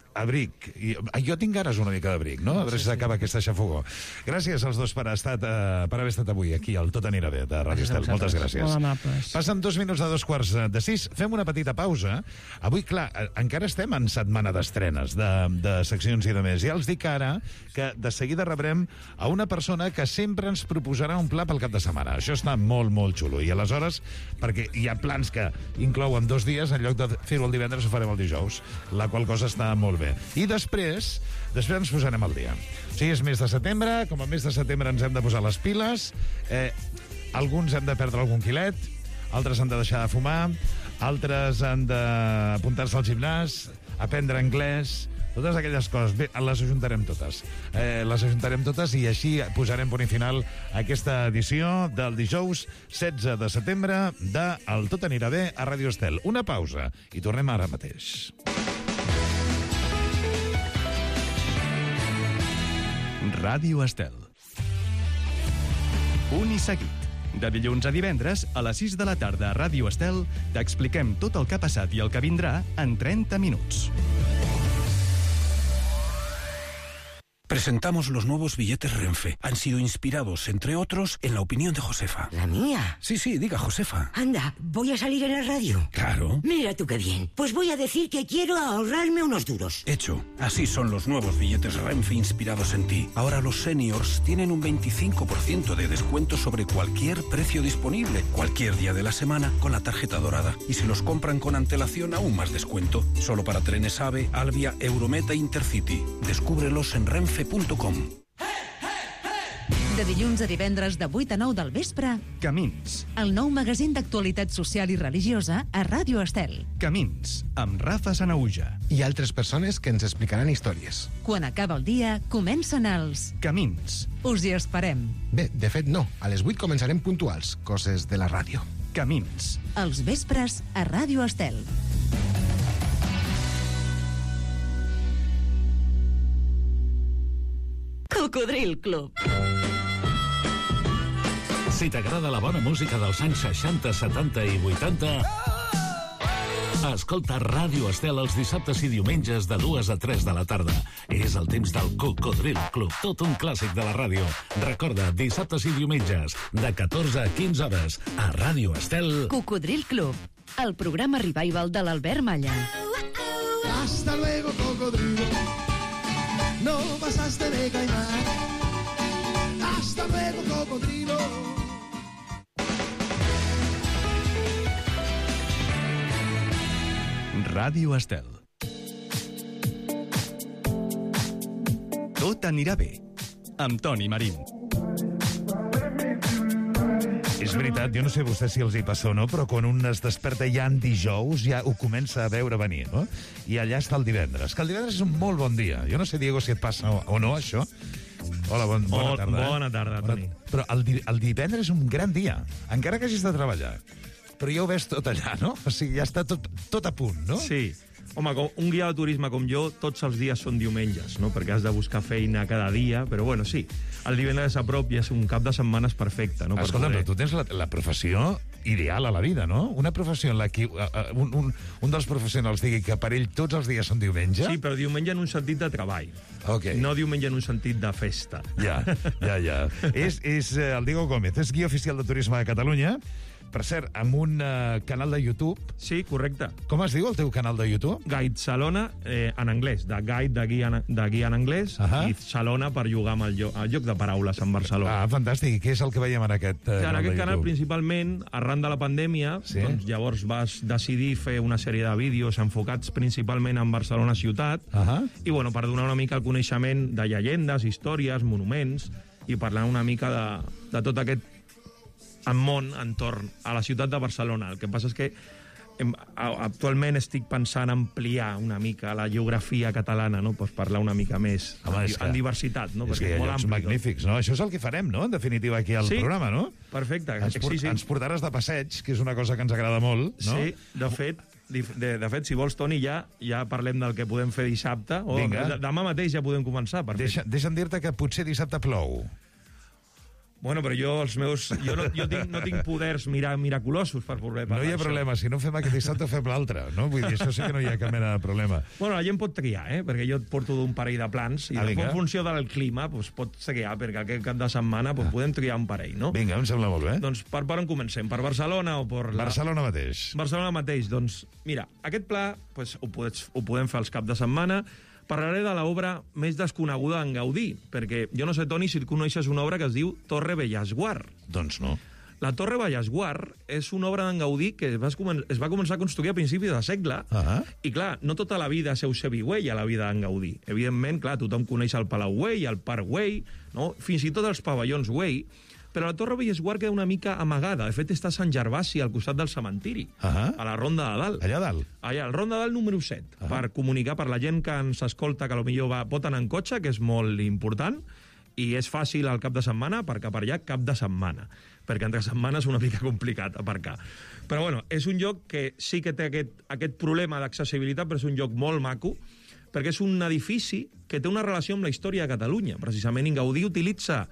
Jo tinc ganes una mica d'abric, no? A veure si s'acaba aquesta xafogó. Gràcies als dos per haver estat avui aquí al Tot anirà bé de Ràdio Estel. Moltes gràcies. Molt amables. Passen 2 minuts de 2:45. Fem una petita pausa. Avui, clar, encara estem en setmana d'estrenes de seccions i de més. Ja els dic ara que de seguida rebrem a una persona que sempre ens proposarà un pla pel cap de setmana. Això està molt, molt xulo. I aleshores, perquè hi ha plans que inclouen 2 dies, en lloc de fer-ho el divendres ho farem el dijous, la qual cosa està molt bé. I després ens posarem al dia. O sigui, és mes de setembre, com a mes de setembre ens hem de posar les piles, alguns hem de perdre algun quilet, altres han de deixar de fumar, altres han d'apuntar-se al gimnàs, aprendre anglès, totes aquelles coses. Bé, les ajuntarem totes i així posarem punt i final a aquesta edició del dijous 16 de setembre de El Tot anirà bé a Ràdio Estel. Una pausa i tornem ara mateix. Ràdio Estel. Un i seguit. De dilluns a divendres, a les 6 de la tarda a Ràdio Estel, t'expliquem tot el que ha passat i el que vindrà en 30 minuts. Presentamos los nuevos billetes Renfe. Han sido inspirados, entre otros, en la opinión de Josefa. ¿La mía? Sí, diga, Josefa. Anda, ¿voy a salir en la radio? Claro. Mira tú qué bien. Pues voy a decir que quiero ahorrarme unos duros. Hecho. Así son los nuevos billetes Renfe inspirados en ti. Ahora los seniors tienen un 25% de descuento sobre cualquier precio disponible, cualquier día de la semana, con la tarjeta dorada. Y si los compran con antelación, aún más descuento. Solo para trenes AVE, Alvia, Eurometa e Intercity. Descúbrelos en renfe.com. De dilluns a divendres de 8 a 9 del vespre, Camins. el nou magazín d'actualitat social i religiosa a Ràdio Estel. Camins, amb Rafa Sanauja. I altres persones que ens explicaran històries. Quan acaba el dia, comencen els Camins. Us hi esperem. Bé, de fet no. A les 8 començarem puntuals, coses de la ràdio. Camins. Els vespres a Ràdio Estel. Cocodril Club. Si t'agrada la bona música dels anys 60, 70 i 80, escolta Ràdio Estel els dissabtes i diumenges de 2 a 3 de la tarda. És el temps del Cocodril Club, tot un clàssic de la ràdio. Recorda, dissabtes i diumenges, de 14 a 15 hores, a Ràdio Estel. Cocodril Club, el programa revival de l'Albert Malla. Hasta luego, cocodrilo. No pasaste de caimán. Hasta luego, cocodrilo. Ràdio Estel. Tot anirà bé, amb Toni Marín. És veritat, jo no sé vostè si els hi passa o no, però quan un es desperta ja en dijous, ja ho comença a veure venir, no? I allà està el divendres, que el divendres és un molt bon dia. Jo no sé, Diego, si et passa o no, això. Hola, bona tarda. Bona tarda, Toni. Però el divendres és un gran dia, encara que hagis de treballar. Però ja ho ves tot allà, no? O sigui, ja està tot a punt, no? Sí. Home, un guia de turisme com jo, tots els dies són diumenges, no? Perquè has de buscar feina cada dia, però bueno, sí. El divendres a prop ja és un cap de setmanes perfecte, no? Escolta, però tu tens la professió ideal a la vida, no? Una professió en la que un dels professionals digui que per ell tots els dies són diumenge. Sí, però diumenge en un sentit de treball. Okay. No diumenge en un sentit de festa. Ja. És el Diego Gómez, és guia oficial de turisme de Catalunya. Per cert, amb un canal de YouTube. Sí, correcte. Com es diu el teu canal de YouTube? Guide Salona, en anglès. De guide de guia en anglès, i Salona per jugar amb el joc de paraules en Barcelona. Ah, fantàstic. I què és el que veiem en aquest canal de YouTube? En aquest canal, principalment, arran de la pandèmia, doncs, llavors vas decidir fer una sèrie de vídeos enfocats principalment en Barcelona ciutat, i bueno, per donar una mica el coneixement de llegendes, històries, monuments, i parlar una mica de tot aquest en món entorn a la ciutat de Barcelona. El que passa és que actualment estic pensant ampliar una mica la geografia catalana, no? Pues parlar una mica més en diversitat, no? És que hi ha llocs magnífics, no? Això és el que farem, no? En definitiva, aquí al programa, no? Perfecte. Ens portaràs de passeig, que és una cosa que ens agrada molt, no? Sí, de fet, si vols, Toni, ja parlem del que podem fer dissabte. Demà mateix ja podem començar. Deixa'm dir-te que potser dissabte plou. Bueno, però jo no tinc poders miraculosos per poder parlar. No hi ha problema, si no fem aquest dissabte fem l'altre, no? Vull dir, això sí que no hi ha cap mena de problema. Bueno, la gent pot triar, perquè jo et porto d'un parell de plans, i en funció del clima pot triar, perquè aquest cap de setmana podem triar un parell, no? Vinga, em sembla molt bé. Doncs per on comencem? Per Barcelona o per... Barcelona mateix. Barcelona mateix, doncs, mira, aquest pla ho podem fer els caps de setmana. Parlaré de l'obra més desconeguda d'en Gaudí, perquè jo no sé, Toni, si coneixes una obra que es diu Torre Bellesguard. Doncs no. La Torre Bellesguard és una obra d'en Gaudí que es va començar a construir a principis de segle, i clar, no tota la vida seu ser Güell a la vida d'en Gaudí. Evidentment, clar, tothom coneix el Palau Güell, el Parc Güell, no? Fins i tot els pavellons Güell, però la Torre Bellesguard queda una mica amagada. De fet, està a Sant Gervasi, al costat del cementiri, a la Ronda de Dalt. Allà dalt? Allà, al Ronda de Dalt número 7, per comunicar per la gent que ens escolta, que potser pot anar en cotxe, que és molt important, i és fàcil al cap de setmana, perquè per allà cap de setmana, perquè entre setmanes és una mica complicat aparcar. Però bueno, és un lloc que sí que té aquest problema d'accessibilitat, però és un lloc molt maco, perquè és un edifici que té una relació amb la història de Catalunya. Precisament, Gaudí utilitza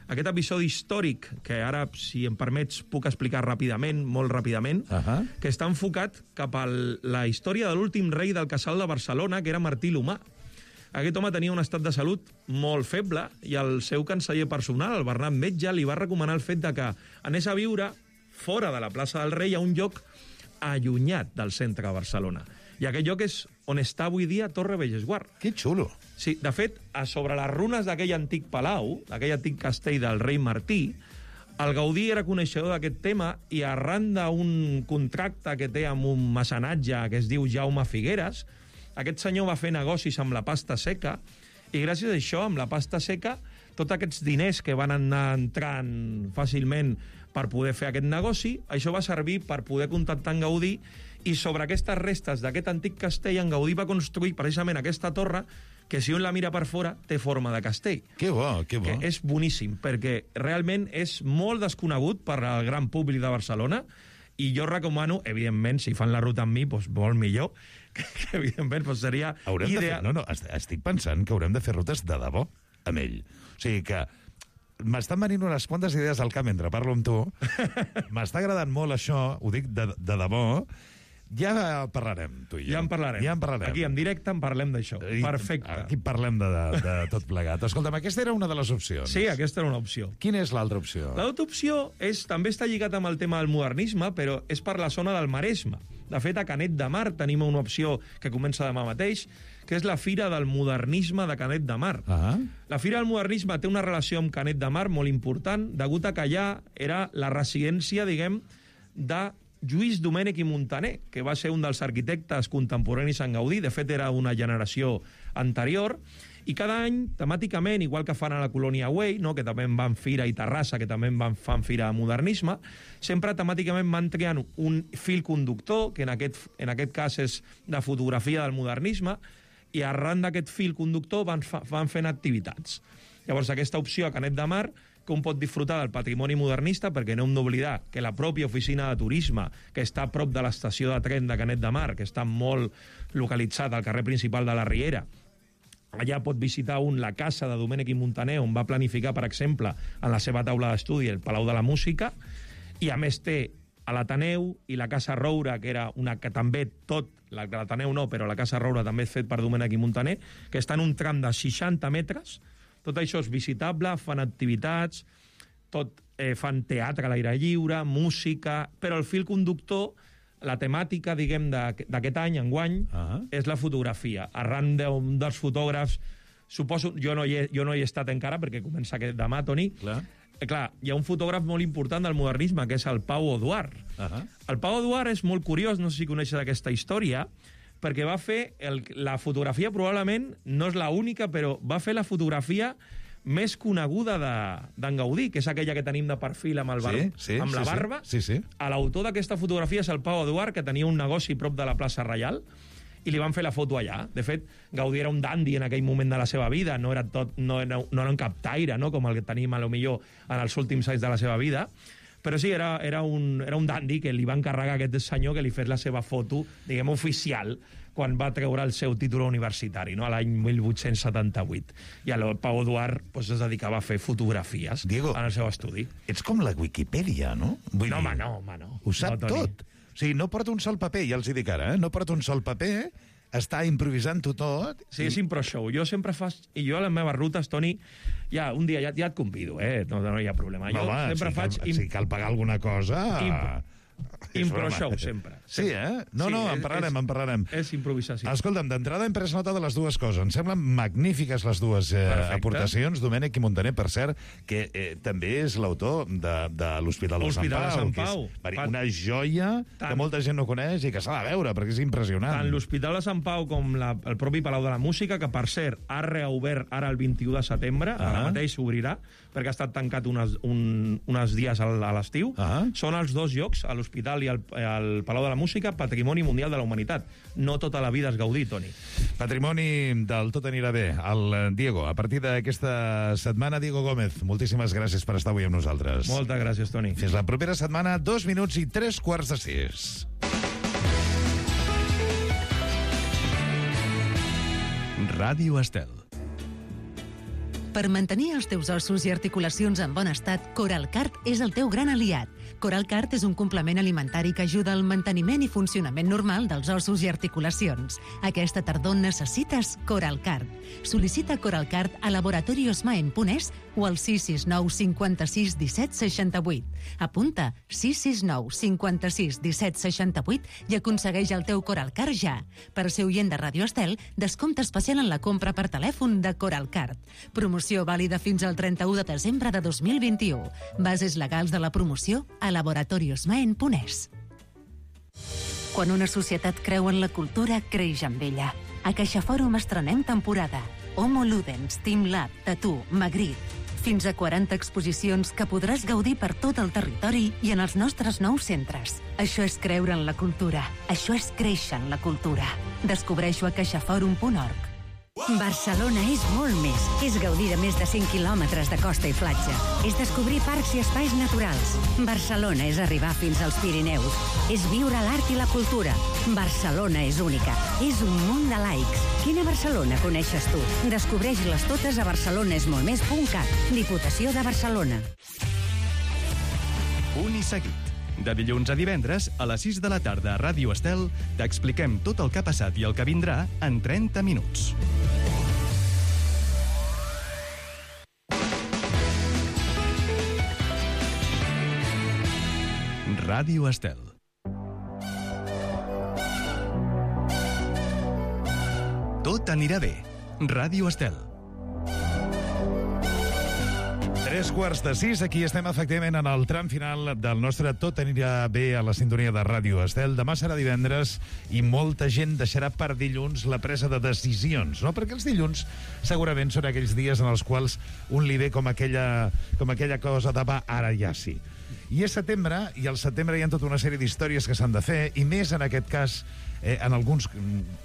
aquest episodi històric, que ara, si em permets, puc explicar ràpidament, molt ràpidament, que està enfocat cap a la història de l'últim rei del Casal de Barcelona, que era Martí l'Humà. Aquest home tenia un estat de salut molt feble i el seu canceller personal, el Bernat Metge, li va recomanar el fet de que anés a viure fora de la plaça del Rei, a un lloc allunyat del centre de Barcelona. I aquest lloc és on està avui dia Torre Bellesguard. Que xulo. Sí, de fet, sobre les runes d'aquell antic palau, d'aquell antic castell del rei Martí, el Gaudí era coneixedor d'aquest tema i arran d'un contracte que té amb un mecenatge que es diu Jaume Figueres, aquest senyor va fer negocis amb la pasta seca i gràcies a això, amb la pasta seca, tots aquests diners que van anar entrant fàcilment per poder fer aquest negoci, això va servir per poder contactar en Gaudí, i sobre aquestes restes d'aquest antic castell, en Gaudí va construir precisament aquesta torre que, si un la mira per fora, té forma de castell. Que bo, que bo. Que és boníssim, perquè realment és molt desconegut per al gran públic de Barcelona, i jo recomano, evidentment, si fan la ruta amb mi, doncs molt millor, que evidentment doncs seria ideal. Estic pensant que haurem de fer rutes de debò amb ell. O sigui que m'estan venint unes quantes idees al cap mentre parlo amb tu. M'està agradant molt això, ho dic de debò. Ja parlarem, tu i jo. Ja en parlarem. Aquí, en directe, en parlem d'això. Perfecte. Aquí parlem de tot plegat. Escolta'm, aquesta era una de les opcions. Sí, aquesta era una opció. Quina és l'altra opció? L'altra opció també està lligat amb el tema del modernisme, però és per la zona del Maresme. De fet, a Canet de Mar tenim una opció que comença demà mateix, que és la Fira del Modernisme de Canet de Mar. La Fira del Modernisme té una relació amb Canet de Mar molt important, degut a que allà era la residència, diguem, de Lluís Domènech i Muntaner, que va ser un dels arquitectes contemporanis en Gaudí, de fet era una generació anterior, i cada any, temàticament, igual que fan a la Colònia Güell, no?, que també en van Fira, i Terrassa, que també en fan Fira de Modernisme, sempre temàticament van triant un fil conductor, que en aquest cas és de fotografia del modernisme, i arran d'aquest fil conductor van fent activitats. Llavors, aquesta opció a Canet de Mar, que un pot disfrutar del patrimoni modernista, perquè no hem d'oblidar que la pròpia oficina de turisme, que està a prop de l'estació de tren de Canet de Mar, que està molt localitzat al carrer principal de la Riera, allà pot visitar la casa de Domènech i Muntaner, on va planificar, per exemple, en la seva taula d'estudi, el Palau de la Música, i a més té a l'Ateneu i la Casa Roura, que era una que també l'Ateneu no, però la Casa Roura també és fet per Domènech i Muntaner, que està en un tram de 60 metres. Tot això és visitable, fan activitats, fan teatre a l'aire lliure, música, però el fil conductor, la temàtica, diguem, d'aquest any, enguany, és la fotografia. Arran d'un dels fotògrafs, suposo, jo no hi he estat encara, perquè comença demà, Toni. Clar, hi ha un fotògraf molt important del modernisme, que és el Pau Oduart. El Pau Oduart és molt curiós, no sé si coneixes aquesta història, perquè va fer la fotografia, probablement no és l'única, però va fer la fotografia més coneguda d'en Gaudí, que és aquella que tenim de perfil amb la barba. L'autor d'aquesta fotografia és el Pau Oduart, que tenia un negoci prop de la plaça Reial, i li van fer la foto allà. De fet, Gaudí era un dandi en aquell moment de la seva vida, no era un captaire, no?, com el que tenim, a lo millor, en els últims anys de la seva vida, però sí, era un dandi que li va encarregar a aquest senyor que li fes la seva foto, diguem, oficial, quan va treure el seu títol universitari, no?, a l'any 1878. I el Pau Oduart es dedicava a fer fotografies en el seu estudi. Ets com la Wikipedia, no? Home, no. Ho sap tot. O sigui, no porta un sol paper, ja els hi dic ara, no porta un sol paper, està improvisant-ho tot. Sí, és impro-show. Jo sempre i jo a les meves rutes, Toni, un dia ja et convido, no hi ha problema. Jo sempre faig... Si cal pagar alguna cosa... Impro-show, sempre. Sí, en parlarem. És improvisació. Escolta'm, d'entrada hem pres nota de les dues coses. Em semblen magnífiques les dues aportacions. Domènech i Muntaner, per cert, que també és l'autor de l'Hospital de Sant Pau. Que és una joia que molta gent no coneix i que s'ha de veure, perquè és impressionant. Tant l'Hospital de Sant Pau com el propi Palau de la Música, que, per cert, ha reobert ara el 21 de setembre, ara mateix s'obrirà, perquè ha estat tancat uns dies a l'estiu. Són els dos llocs, a l'Hospital i al Palau de la Música, Patrimoni Mundial de la Humanitat. No tota la vida és Gaudí, Toni. Patrimoni del Tot anirà bé. El Diego, a partir d'aquesta setmana, Diego Gómez, moltíssimes gràcies per estar avui amb nosaltres. Moltes gràcies, Toni. Fins la propera setmana, 2 minuts i 3:45. Ràdio Estel. Per mantenir els teus ossos i articulacions en bon estat, Coralcart és el teu gran aliat. Coralcart és un complement alimentari que ajuda al manteniment i funcionament normal dels ossos i articulacions. Aquesta tardor necessites Coralcart. Sol·licita Coralcart a laboratoriosmaen.es o al 669 56 17 68. Apunta 669 56 17 68 i aconsegueix el teu Coralcart ja. Per ser oient de Ràdio Estel, descompte especial en la compra per telèfon de Coralcart. Promoció vàlida fins al 31 de desembre de 2021. Bases legals de la promoció a laboratoriosmaen.es. Quan una societat creu en la cultura, creix amb ella. A CaixaFòrum estrenem temporada. Homo Ludens, Team Lab, Tattoo, Magritte. Fins a 40 exposicions que podràs gaudir per tot el territori i en els nostres nous centres. Això és creure en la cultura. Això és créixer en la cultura. Descobreixo a caixaforum.org. Barcelona és molt més. És gaudir de més de 100 quilòmetres de costa i platja. És descobrir parcs i espais naturals. Barcelona és arribar fins als Pirineus. És viure l'art i la cultura. Barcelona és única. És un munt de laics. Quina Barcelona coneixes tu? Descobreix-les totes a barcelonesmoltmés.cat. Diputació de Barcelona. Punt i seguit. De dilluns a divendres, a les 6 de la tarda a Ràdio Estel, t'expliquem tot el que ha passat i el que vindrà en 30 minuts. Ràdio Estel. Tot anirà bé. Ràdio Estel. 3:45, aquí estem efectivament en el tram final del nostre Tot anirà bé a la sintonia de Ràdio Estel. Demà serà divendres i molta gent deixarà per dilluns la presa de decisions, no? Perquè els dilluns segurament són aquells dies en els quals un li ve com aquella cosa de va, ara ja sí. I és setembre, i al setembre hi ha tota una sèrie d'històries que s'han de fer, i més en aquest cas en alguns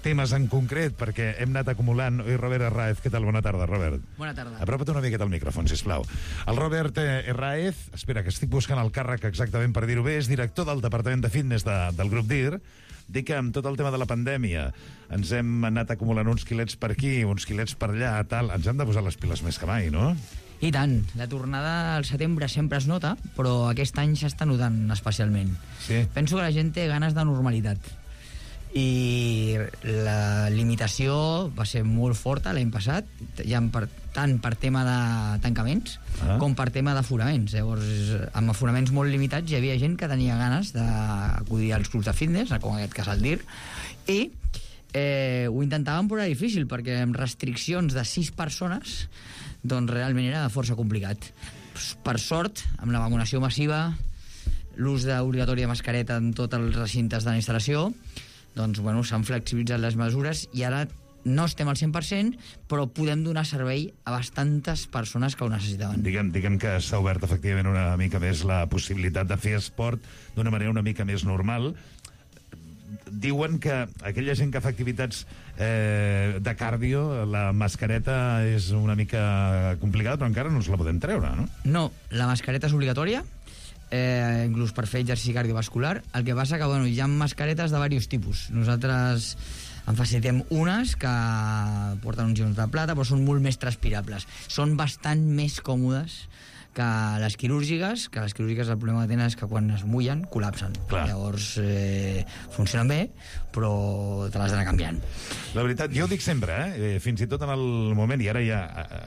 temes en concret, perquè hem anat acumulant. Oi, Robert Herráez, què tal? Bona tarda, Robert. Bona tarda. Apropa't una miqueta al micròfon, sisplau. El Robert Herráez, espera, que estic buscant el càrrec exactament per dir-ho bé, és director del Departament de Fitness del grup DIR. Dic que amb tot el tema de la pandèmia ens hem anat acumulant uns quilets per aquí, uns quilets per allà, tal. Ens hem de posar les piles més que mai, no? I tant. La tornada al setembre sempre es nota, però aquest any s'està notant especialment. Sí. Penso que la gent té ganes de normalitat. I la limitació va ser molt forta l'any passat, ja tant per tema de tancaments com per tema d'aforaments. Llavors, amb aforaments molt limitats hi havia gent que tenia ganes d'acudir als clubs de fitness, com en aquest cas el DIR, i ho intentàvem, però era difícil, perquè amb restriccions de 6 persones doncs realment era força complicat. Per sort, amb la vacunació massiva, l'ús obligatori de mascareta en tots els recintes de la instal·lació, doncs, bueno, s'han flexibilitzat les mesures i ara no estem al 100%, però podem donar servei a bastantes persones que ho necessitaven. Diguem que s'ha obert efectivament una mica més la possibilitat de fer esport d'una manera una mica més normal. Diuen que aquella gent que fa activitats de cardio, la mascareta és una mica complicada, però encara no ens la podem treure, no? No, la mascareta és obligatòria, inclús per fer exercici cardiovascular. El que passa que, bueno, hi ha mascaretes de diversos tipus. Nosaltres en facilitem unes que porten uns ions de plata, però són molt més transpirables. Són bastant més còmodes que les quirúrgiques, el problema que tenen és que quan es mullen, col·lapsen. Clar. Llavors, funcionen bé, però te l'has d'anar canviant. La veritat, jo ho dic sempre, fins i tot en el moment, i ara ja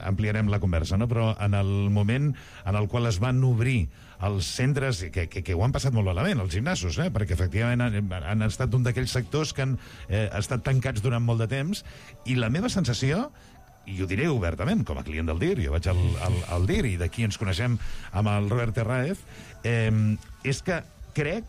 ampliarem la conversa, no? Però en el moment en el qual es van obrir els centres, que ho han passat molt malament, els gimnasos, perquè efectivament han estat un d'aquells sectors que han estat tancats durant molt de temps, i la meva sensació, i ho diré obertament, com a client del DIR, jo vaig al DIR i d'aquí ens coneixem amb el Robert Herráez, és que crec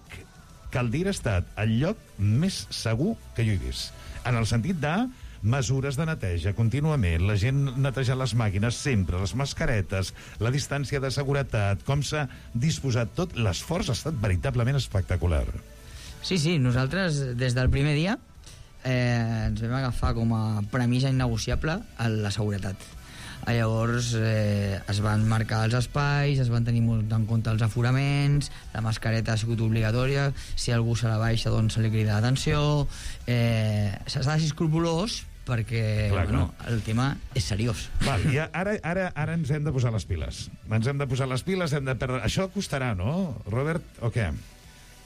que el DIR ha estat el lloc més segur que jo he vist, en el sentit de mesures de neteja contínuament, la gent netejant les màquines sempre, les mascaretes, la distància de seguretat, com s'ha disposat tot, l'esforç ha estat veritablement espectacular. Sí, nosaltres des del primer dia ens vam agafar com a premissa innegociable la seguretat. Llavors es van marcar els espais, es van tenir molt en compte els aforaments, la mascareta ha sigut obligatòria, si algú se la baixa doncs se li crida l'atenció, s'ha de ser escrupolós perquè el tema és seriós. Val, i ara ens hem de posar les piles. Això costarà, no, Robert, o què?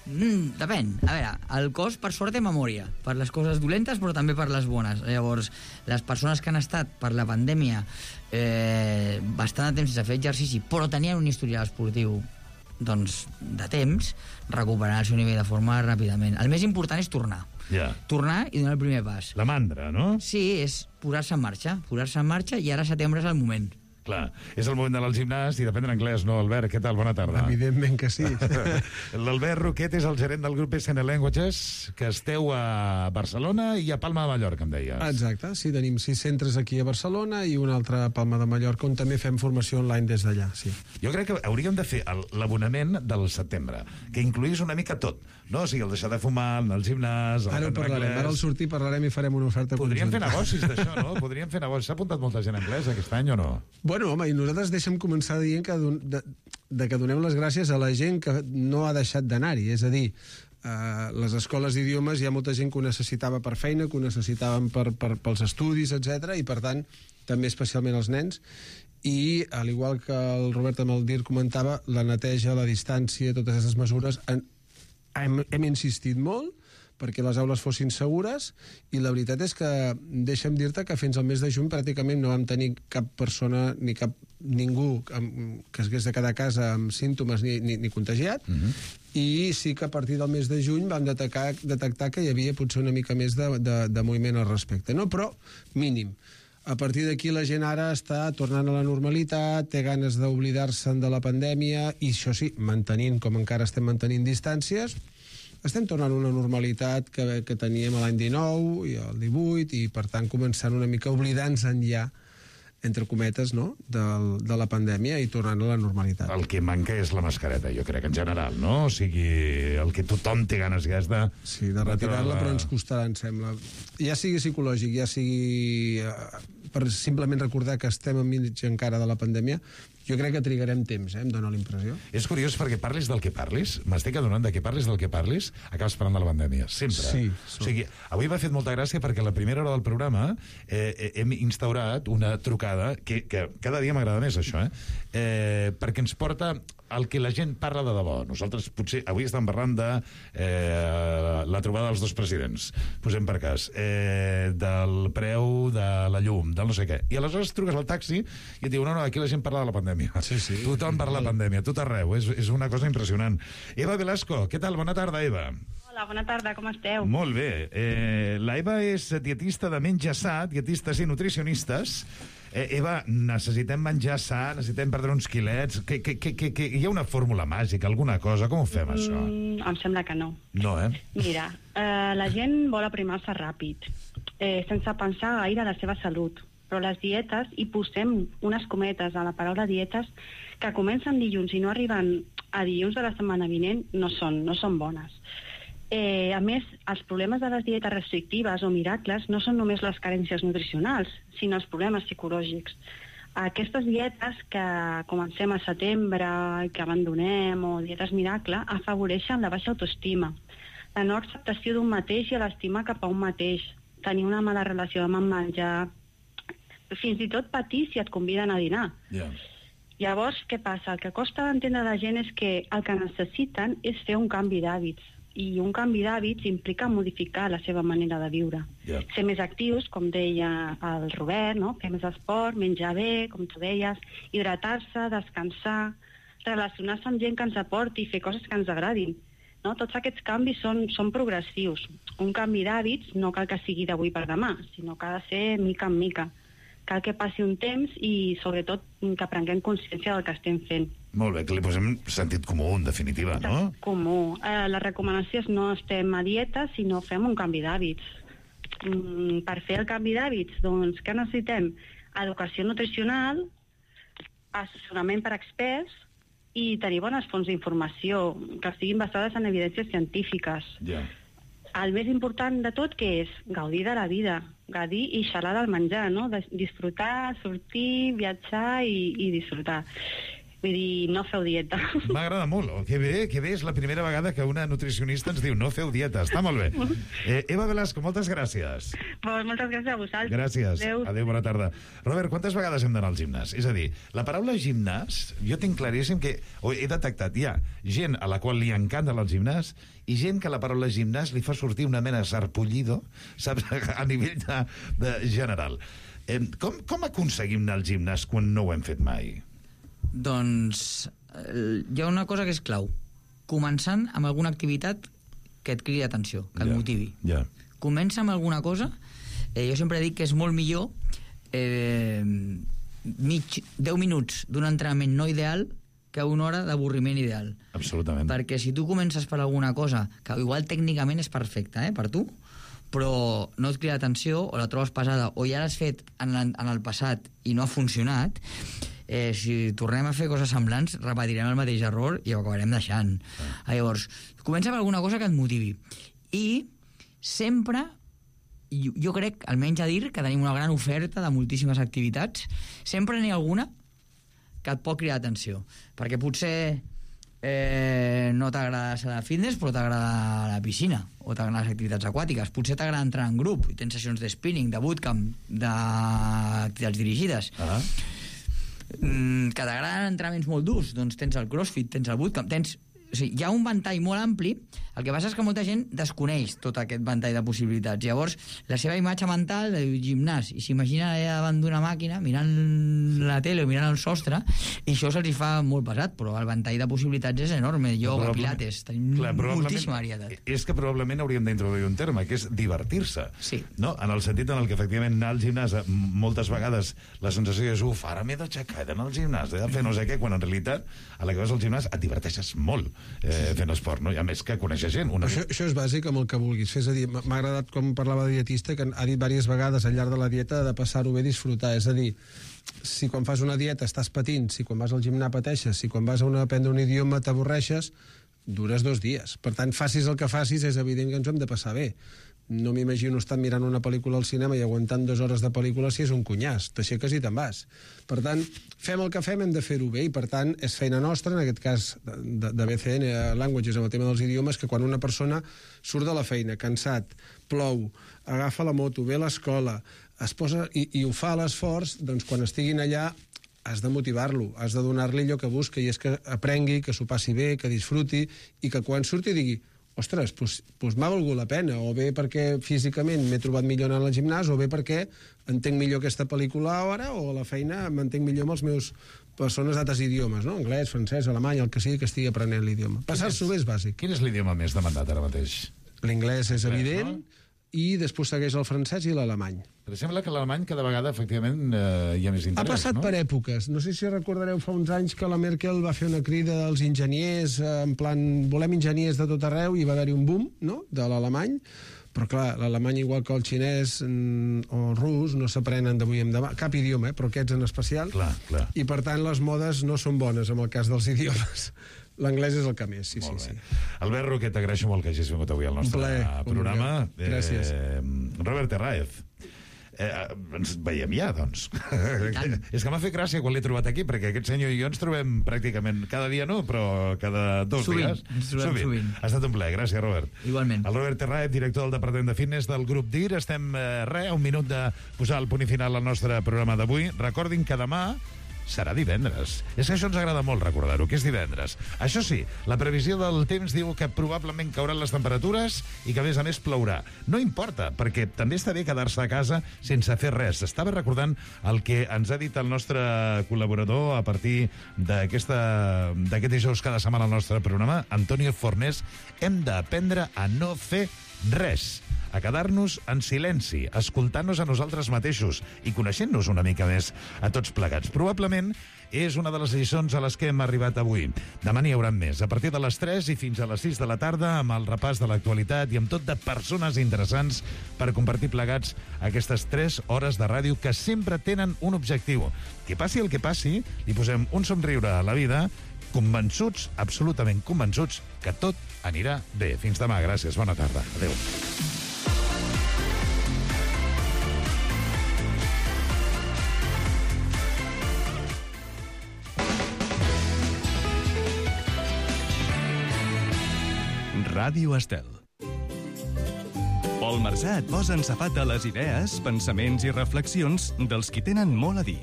Depèn. A veure, el cos, per sort, té memòria per les coses dolentes, però també per les bones. Llavors, les persones que han estat per la pandèmia bastant de temps sense fer exercici, però tenien un historial esportiu doncs, de temps, recuperaran el seu nivell de forma ràpidament. El més important és tornar. Tornar i donar el primer pas. La mandra, no? Sí, és posar-se en marxa. I ara setembre és el moment. Clar, és el moment d'anar al gimnàs i d'aprendre anglès, no, Albert? Què tal? Bona tarda. Evidentment que sí. L'Albert Roquet és el gerent del grup SN Languages, que esteu a Barcelona i a Palma de Mallorca, em deies. Exacte, sí, tenim 6 centres aquí a Barcelona i un altre a Palma de Mallorca, on també fem formació online des d'allà, sí. Jo crec que hauríem de fer l'abonament del setembre, que incluís una mica tot, no? O sigui, el deixar de fumar, anar al gimnàs... Ara ho parlarem, ara al sortir parlarem i farem una oferta Podríem conjunta. fer negocis d'això, no? Podríem fer negocis. S'ha apuntat molta gent a anglès aquest any o no? Bueno, home, i nosaltres deixem començar dient que que donem les gràcies a la gent que no ha deixat d'anar-hi. És a dir, les escoles d'idiomes hi ha molta gent que ho necessitava per feina, que ho necessitaven pels estudis, etc. I, per tant, també especialment els nens. I, al igual que el Robert Amaldir comentava, la neteja, la distància, totes aquestes mesures, hem insistit molt perquè les aules fossin segures, i la veritat és que deixa'm dir-te que fins al mes de juny pràcticament no vam tenir cap persona ni ningú que hagués de quedar a casa amb símptomes ni contagiat, i sí que a partir del mes de juny vam detectar que hi havia potser una mica més de moviment al respecte, no? Però mínim. A partir d'aquí la gent ara està tornant a la normalitat, té ganes d'oblidar-se'n de la pandèmia, i això sí, mantenint, com encara estem mantenint distàncies, estem tornant a una normalitat que teníem l'any 19 i el 18, i per tant començant una mica oblidant-se'n ja, entre cometes, no?, de la pandèmia, i tornant a la normalitat. El que manca és la mascareta, jo crec, en general, no? O sigui, el que tothom té ganes ja és de... Sí, de retirar-la, però ens costarà, em sembla. Ja sigui psicològic, ja sigui per simplement recordar que estem enmig encara de la pandèmia, jo crec que trigarem temps, em dóna la impressió. És curiós perquè parlis del que parlis, m'estic adonant de que parlis del que parlis, acabes parlant de la pandèmia, sempre. Sí. O sigui, avui m'ha fet molta gràcia perquè a la primera hora del programa hem instaurat una trucada, que cada dia m'agrada més això, perquè ens porta el que la gent parla de debò. Nosaltres potser avui estem parlant de la trobada dels dos presidents, posem per cas, del preu de la llum, del no sé què. I aleshores truques al taxi i et diu, no, aquí la gent parla de la pandèmia. Sí. Tothom parla de la pandèmia, tot arreu. És una cosa impressionant. Eva Velasco, què tal? Bona tarda, Eva. Hola, bona tarda, com esteu? Molt bé. La Eva és dietista de Menja Sa, dietistes i nutricionistes. Eva, necessitem menjar sa, necessitem perdre uns quilets. Hi ha una fórmula màgica, alguna cosa? Com ho fem, això? Em sembla que no. No, Mira, la gent vol aprimar-se ràpid, sense pensar gaire a la seva salut. Però les dietes, i posem unes cometes a la paraula dietes, que comencen dilluns i no arriben a dilluns de la setmana vinent, no són bones. A més, els problemes de les dietes restrictives o miracles no són només les carències nutricionals, sinó els problemes psicològics. Aquestes dietes que comencem a setembre, que abandonem, o dietes miracle, afavoreixen la baixa autoestima, la no acceptació d'un mateix i l'estima cap a un mateix, tenir una mala relació amb el menjar, fins i tot patir si et conviden a dinar. Llavors, què passa? El que costa d'entendre la gent és que el que necessiten és fer un canvi d'hàbits, i un canvi d'hàbits implica modificar la seva manera de viure. Ser més actius, com deia el Robert, no? Fer més esport, menjar bé, com tu deies, hidratar-se, descansar, relacionar-se amb gent que ens aporti i fer coses que ens agradin. No? Tots aquests canvis són progressius. Un canvi d'hàbits no cal que sigui d'avui per demà, sinó que ha de ser mica en mica. Cal que passi un temps i, sobretot, que prenguem consciència del que estem fent. Molt bé, que li posem sentit comú, en definitiva, no? Comú. La recomanació és no estem a dieta, sinó fem un canvi d'hàbits. Per fer el canvi d'hàbits, doncs, què necessitem? Educació nutricional, assessorament per experts i tenir bones fonts d'informació que estiguin basades en evidències científiques. El més important de tot, que és gaudir de la vida, gaudir i xalar del menjar, no? Disfrutar, sortir, viatjar i disfrutar. Vull dir, no feu dieta. M'agrada molt. Que bé, és la primera vegada que una nutricionista ens diu no feu dieta. Està molt bé. Eva Velasco, moltes gràcies. Moltes gràcies a vosaltres. Gràcies. Adéu, bona tarda. Robert, quantes vegades hem d'anar al gimnàs? És a dir, la paraula gimnàs, jo tinc claríssim que he detectat, hi ha gent a la qual li encanta anar al gimnàs i gent que la paraula gimnàs li fa sortir una mena de sarpullido, saps, a nivell de general. Com aconseguim anar al gimnàs quan no ho hem fet mai? Doncs hi ha una cosa que és clau. Començant amb alguna activitat que et cridi l'atenció, que et motivi. Comença amb alguna cosa. Jo sempre dic que és molt millor 10 minuts d'un entrenament no ideal que una hora d'avorriment ideal. Absolutament. Perquè si tu comences per alguna cosa que igual tècnicament és perfecta, per tu, però no et crida atenció o la trobes pesada o ja l'has fet en el passat i no ha funcionat, si tornem a fer coses semblants repetirem el mateix error i ho acabarem deixant. Llavors, comença per alguna cosa que et motivi. I sempre, jo crec, almenys a dir, que tenim una gran oferta de moltíssimes activitats, sempre n'hi ha alguna que et pot cridar atenció. Perquè potser no t'agrada la fitness, però t'agrada la piscina, o t'agraden les activitats aquàtiques. Potser t'agrada entrar en grup, i tens sessions de spinning, de bootcamp, d'activitats dirigides. Que t'agraden entrenaments molt durs, doncs tens el crossfit, tens el bootcamp, o sigui, hi ha un ventall molt ampli. El que passa és que molta gent desconeix tot aquest ventall de possibilitats. Llavors, la seva imatge mental de gimnàs, i s'imagina allà davant d'una màquina mirant la tele o mirant el sostre, i això se'ls fa molt pesat, però el ventall de possibilitats és enorme. Ioga, pilates, tenim moltíssima varietat. És que probablement hauríem d'introduir un terme, que és divertir-se. Sí. No? En el sentit en el que efectivament anar al gimnàs, moltes vegades la sensació és ara m'he d'aixecar, he d'anar al gimnàs, he de fer no sé què, quan en realitat a la que vas al gimnàs et diverteixes molt fent esport, no? I a més que coneixes gent. Això és bàsic amb el que vulguis fer. És a dir, m'ha agradat com parlava de dietista, que ha dit diverses vegades al llarg de la dieta de passar-ho bé, disfrutar. És a dir, si quan fas una dieta estàs patint, si quan vas al gimnàs pateixes, si quan vas a aprendre un idioma t'avorreixes, dures 2 dies. Per tant, facis el que facis, és evident que ens ho hem de passar bé. No m'imagino estar mirant una pel·lícula al cinema i aguantant 2 hores de pel·lícula si és un cunyàs. T'aixeques i te'n vas. Per tant, fem el que fem, hem de fer-ho bé, i per tant és feina nostra, en aquest cas de BCN Languages, amb el tema dels idiomes, que quan una persona surt de la feina cansat, plou, agafa la moto, ve a l'escola, es posa i ho fa a l'esforç, doncs quan estiguin allà has de motivar-lo, has de donar-li allò que busca, i és que aprengui, que s'ho passi bé, que disfruti, i que quan surti digui: ostres, doncs m'ha valgut la pena, o bé perquè físicament m'he trobat millor anant al gimnàs, o bé perquè entenc millor aquesta pel·lícula ara, o a la feina m'entenc millor amb els meus persones d'altres idiomes, no? Anglès, francès, alemany, el que sigui que estigui aprenent l'idioma. Passar-s'ho bé és bàsic. Quin és l'idioma més demandat ara mateix? L'inglès és evident, i després segueix el francès i l'alemany. Però sembla que l'alemany cada vegada, efectivament, hi ha més interès, ha passat per èpoques. No sé si recordareu fa uns anys que la Merkel va fer una crida dels enginyers, en plan, volem enginyers de tot arreu, i va haver-hi un boom, no?, de l'alemany. Però clar, l'alemany, igual que el xinès o el rus, no s'aprenen d'avui en demà, cap idioma, però aquests en especial. Clar. I per tant les modes no són bones en el cas dels idiomes. L'anglès és el que més, sí. Albert Roquet, t'agraeixo molt que hagis vingut avui al nostre programa. Gràcies. Robert Terraez, ens veiem ja, doncs. És que m'ha fet gràcia quan l'he trobat aquí, perquè aquest senyor i jo ens trobem pràcticament cada dia, no, però cada 2 dies. Sovint. Ha estat un plaer, gràcies, Robert. Igualment. El Robert Terraez, director del Departament de Fitness del grup DIR. Estem a un minut de posar el punt i final al nostre programa d'avui. Recordin que demà serà divendres. És que això ens agrada molt recordar-ho, que és divendres. Això sí, la previsió del temps diu que probablement cauran les temperatures i que, a més plourà. No importa, perquè també està bé quedar-se a casa sense fer res. Estava recordant el que ens ha dit el nostre col·laborador a partir d'aquest dijous cada setmana al nostre programa, Antonio Fornés. Hem d'aprendre a no fer res, a quedar-nos en silenci, escoltant-nos a nosaltres mateixos i coneixent-nos una mica més a tots plegats. Probablement és una de les lliçons a les que hem arribat avui. Demà n'hi haurà més, a partir de les 3 i fins a les 6 de la tarda, amb el repàs de l'actualitat i amb tot de persones interessants per compartir plegats aquestes 3 hores de ràdio que sempre tenen un objectiu. Que passi el que passi, li posem un somriure a la vida, convençuts, absolutament convençuts, que tot anirà bé. Fins demà, gràcies, bona tarda. Adéu. Ràdio Estel. Pol Marsà et posa en safat de les idees, pensaments i reflexions dels qui tenen molt a dir.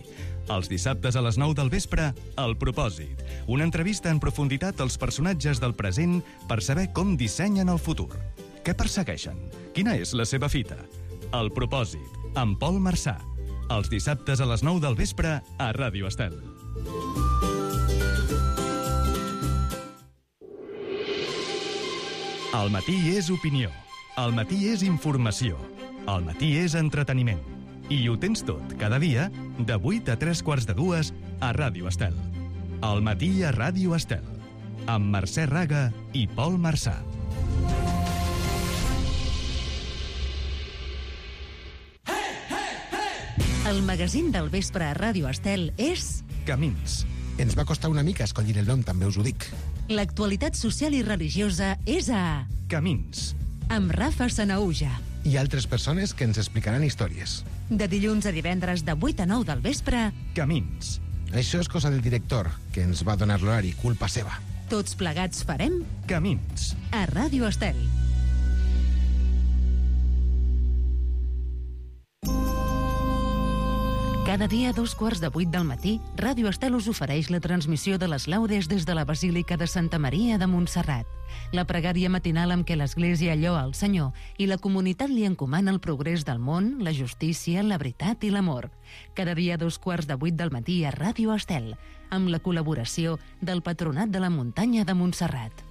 Els dissabtes a les 9 del vespre, El Propòsit. Una entrevista en profunditat als personatges del present per saber com dissenyen el futur. Què persegueixen? Quina és la seva fita? El Propòsit, amb Pol Marsà. Els dissabtes a les 9 del vespre a Ràdio Estel. El matí és opinió. El matí és informació. El matí és entreteniment. I ho tens tot, cada dia, de 8 a 3:45 a Ràdio Estel. Al matí a Ràdio Estel, amb Mercè Raga i Pol Marçà. El magazín del vespre a Ràdio Estel és... Camins. Ens va costar una mica escollir el nom, també us ho dic. L'actualitat social i religiosa és a... Camins. Amb Rafa Sanaúja. I altres persones que ens explicaran històries. De dilluns a divendres de 8 a 9 del vespre... Camins. Això és cosa del director, que ens va donar l'horari, culpa seva. Tots plegats farem... Camins. A Ràdio Estel. Cada dia a 7:45 del matí, Ràdio Estel us ofereix la transmissió de les laudes des de la Basílica de Santa Maria de Montserrat. La pregària matinal amb què l'Església lloa el Senyor i la comunitat li encomana el progrés del món, la justícia, la veritat i l'amor. Cada dia a 7:45 del matí a Ràdio Estel, amb la col·laboració del Patronat de la Muntanya de Montserrat.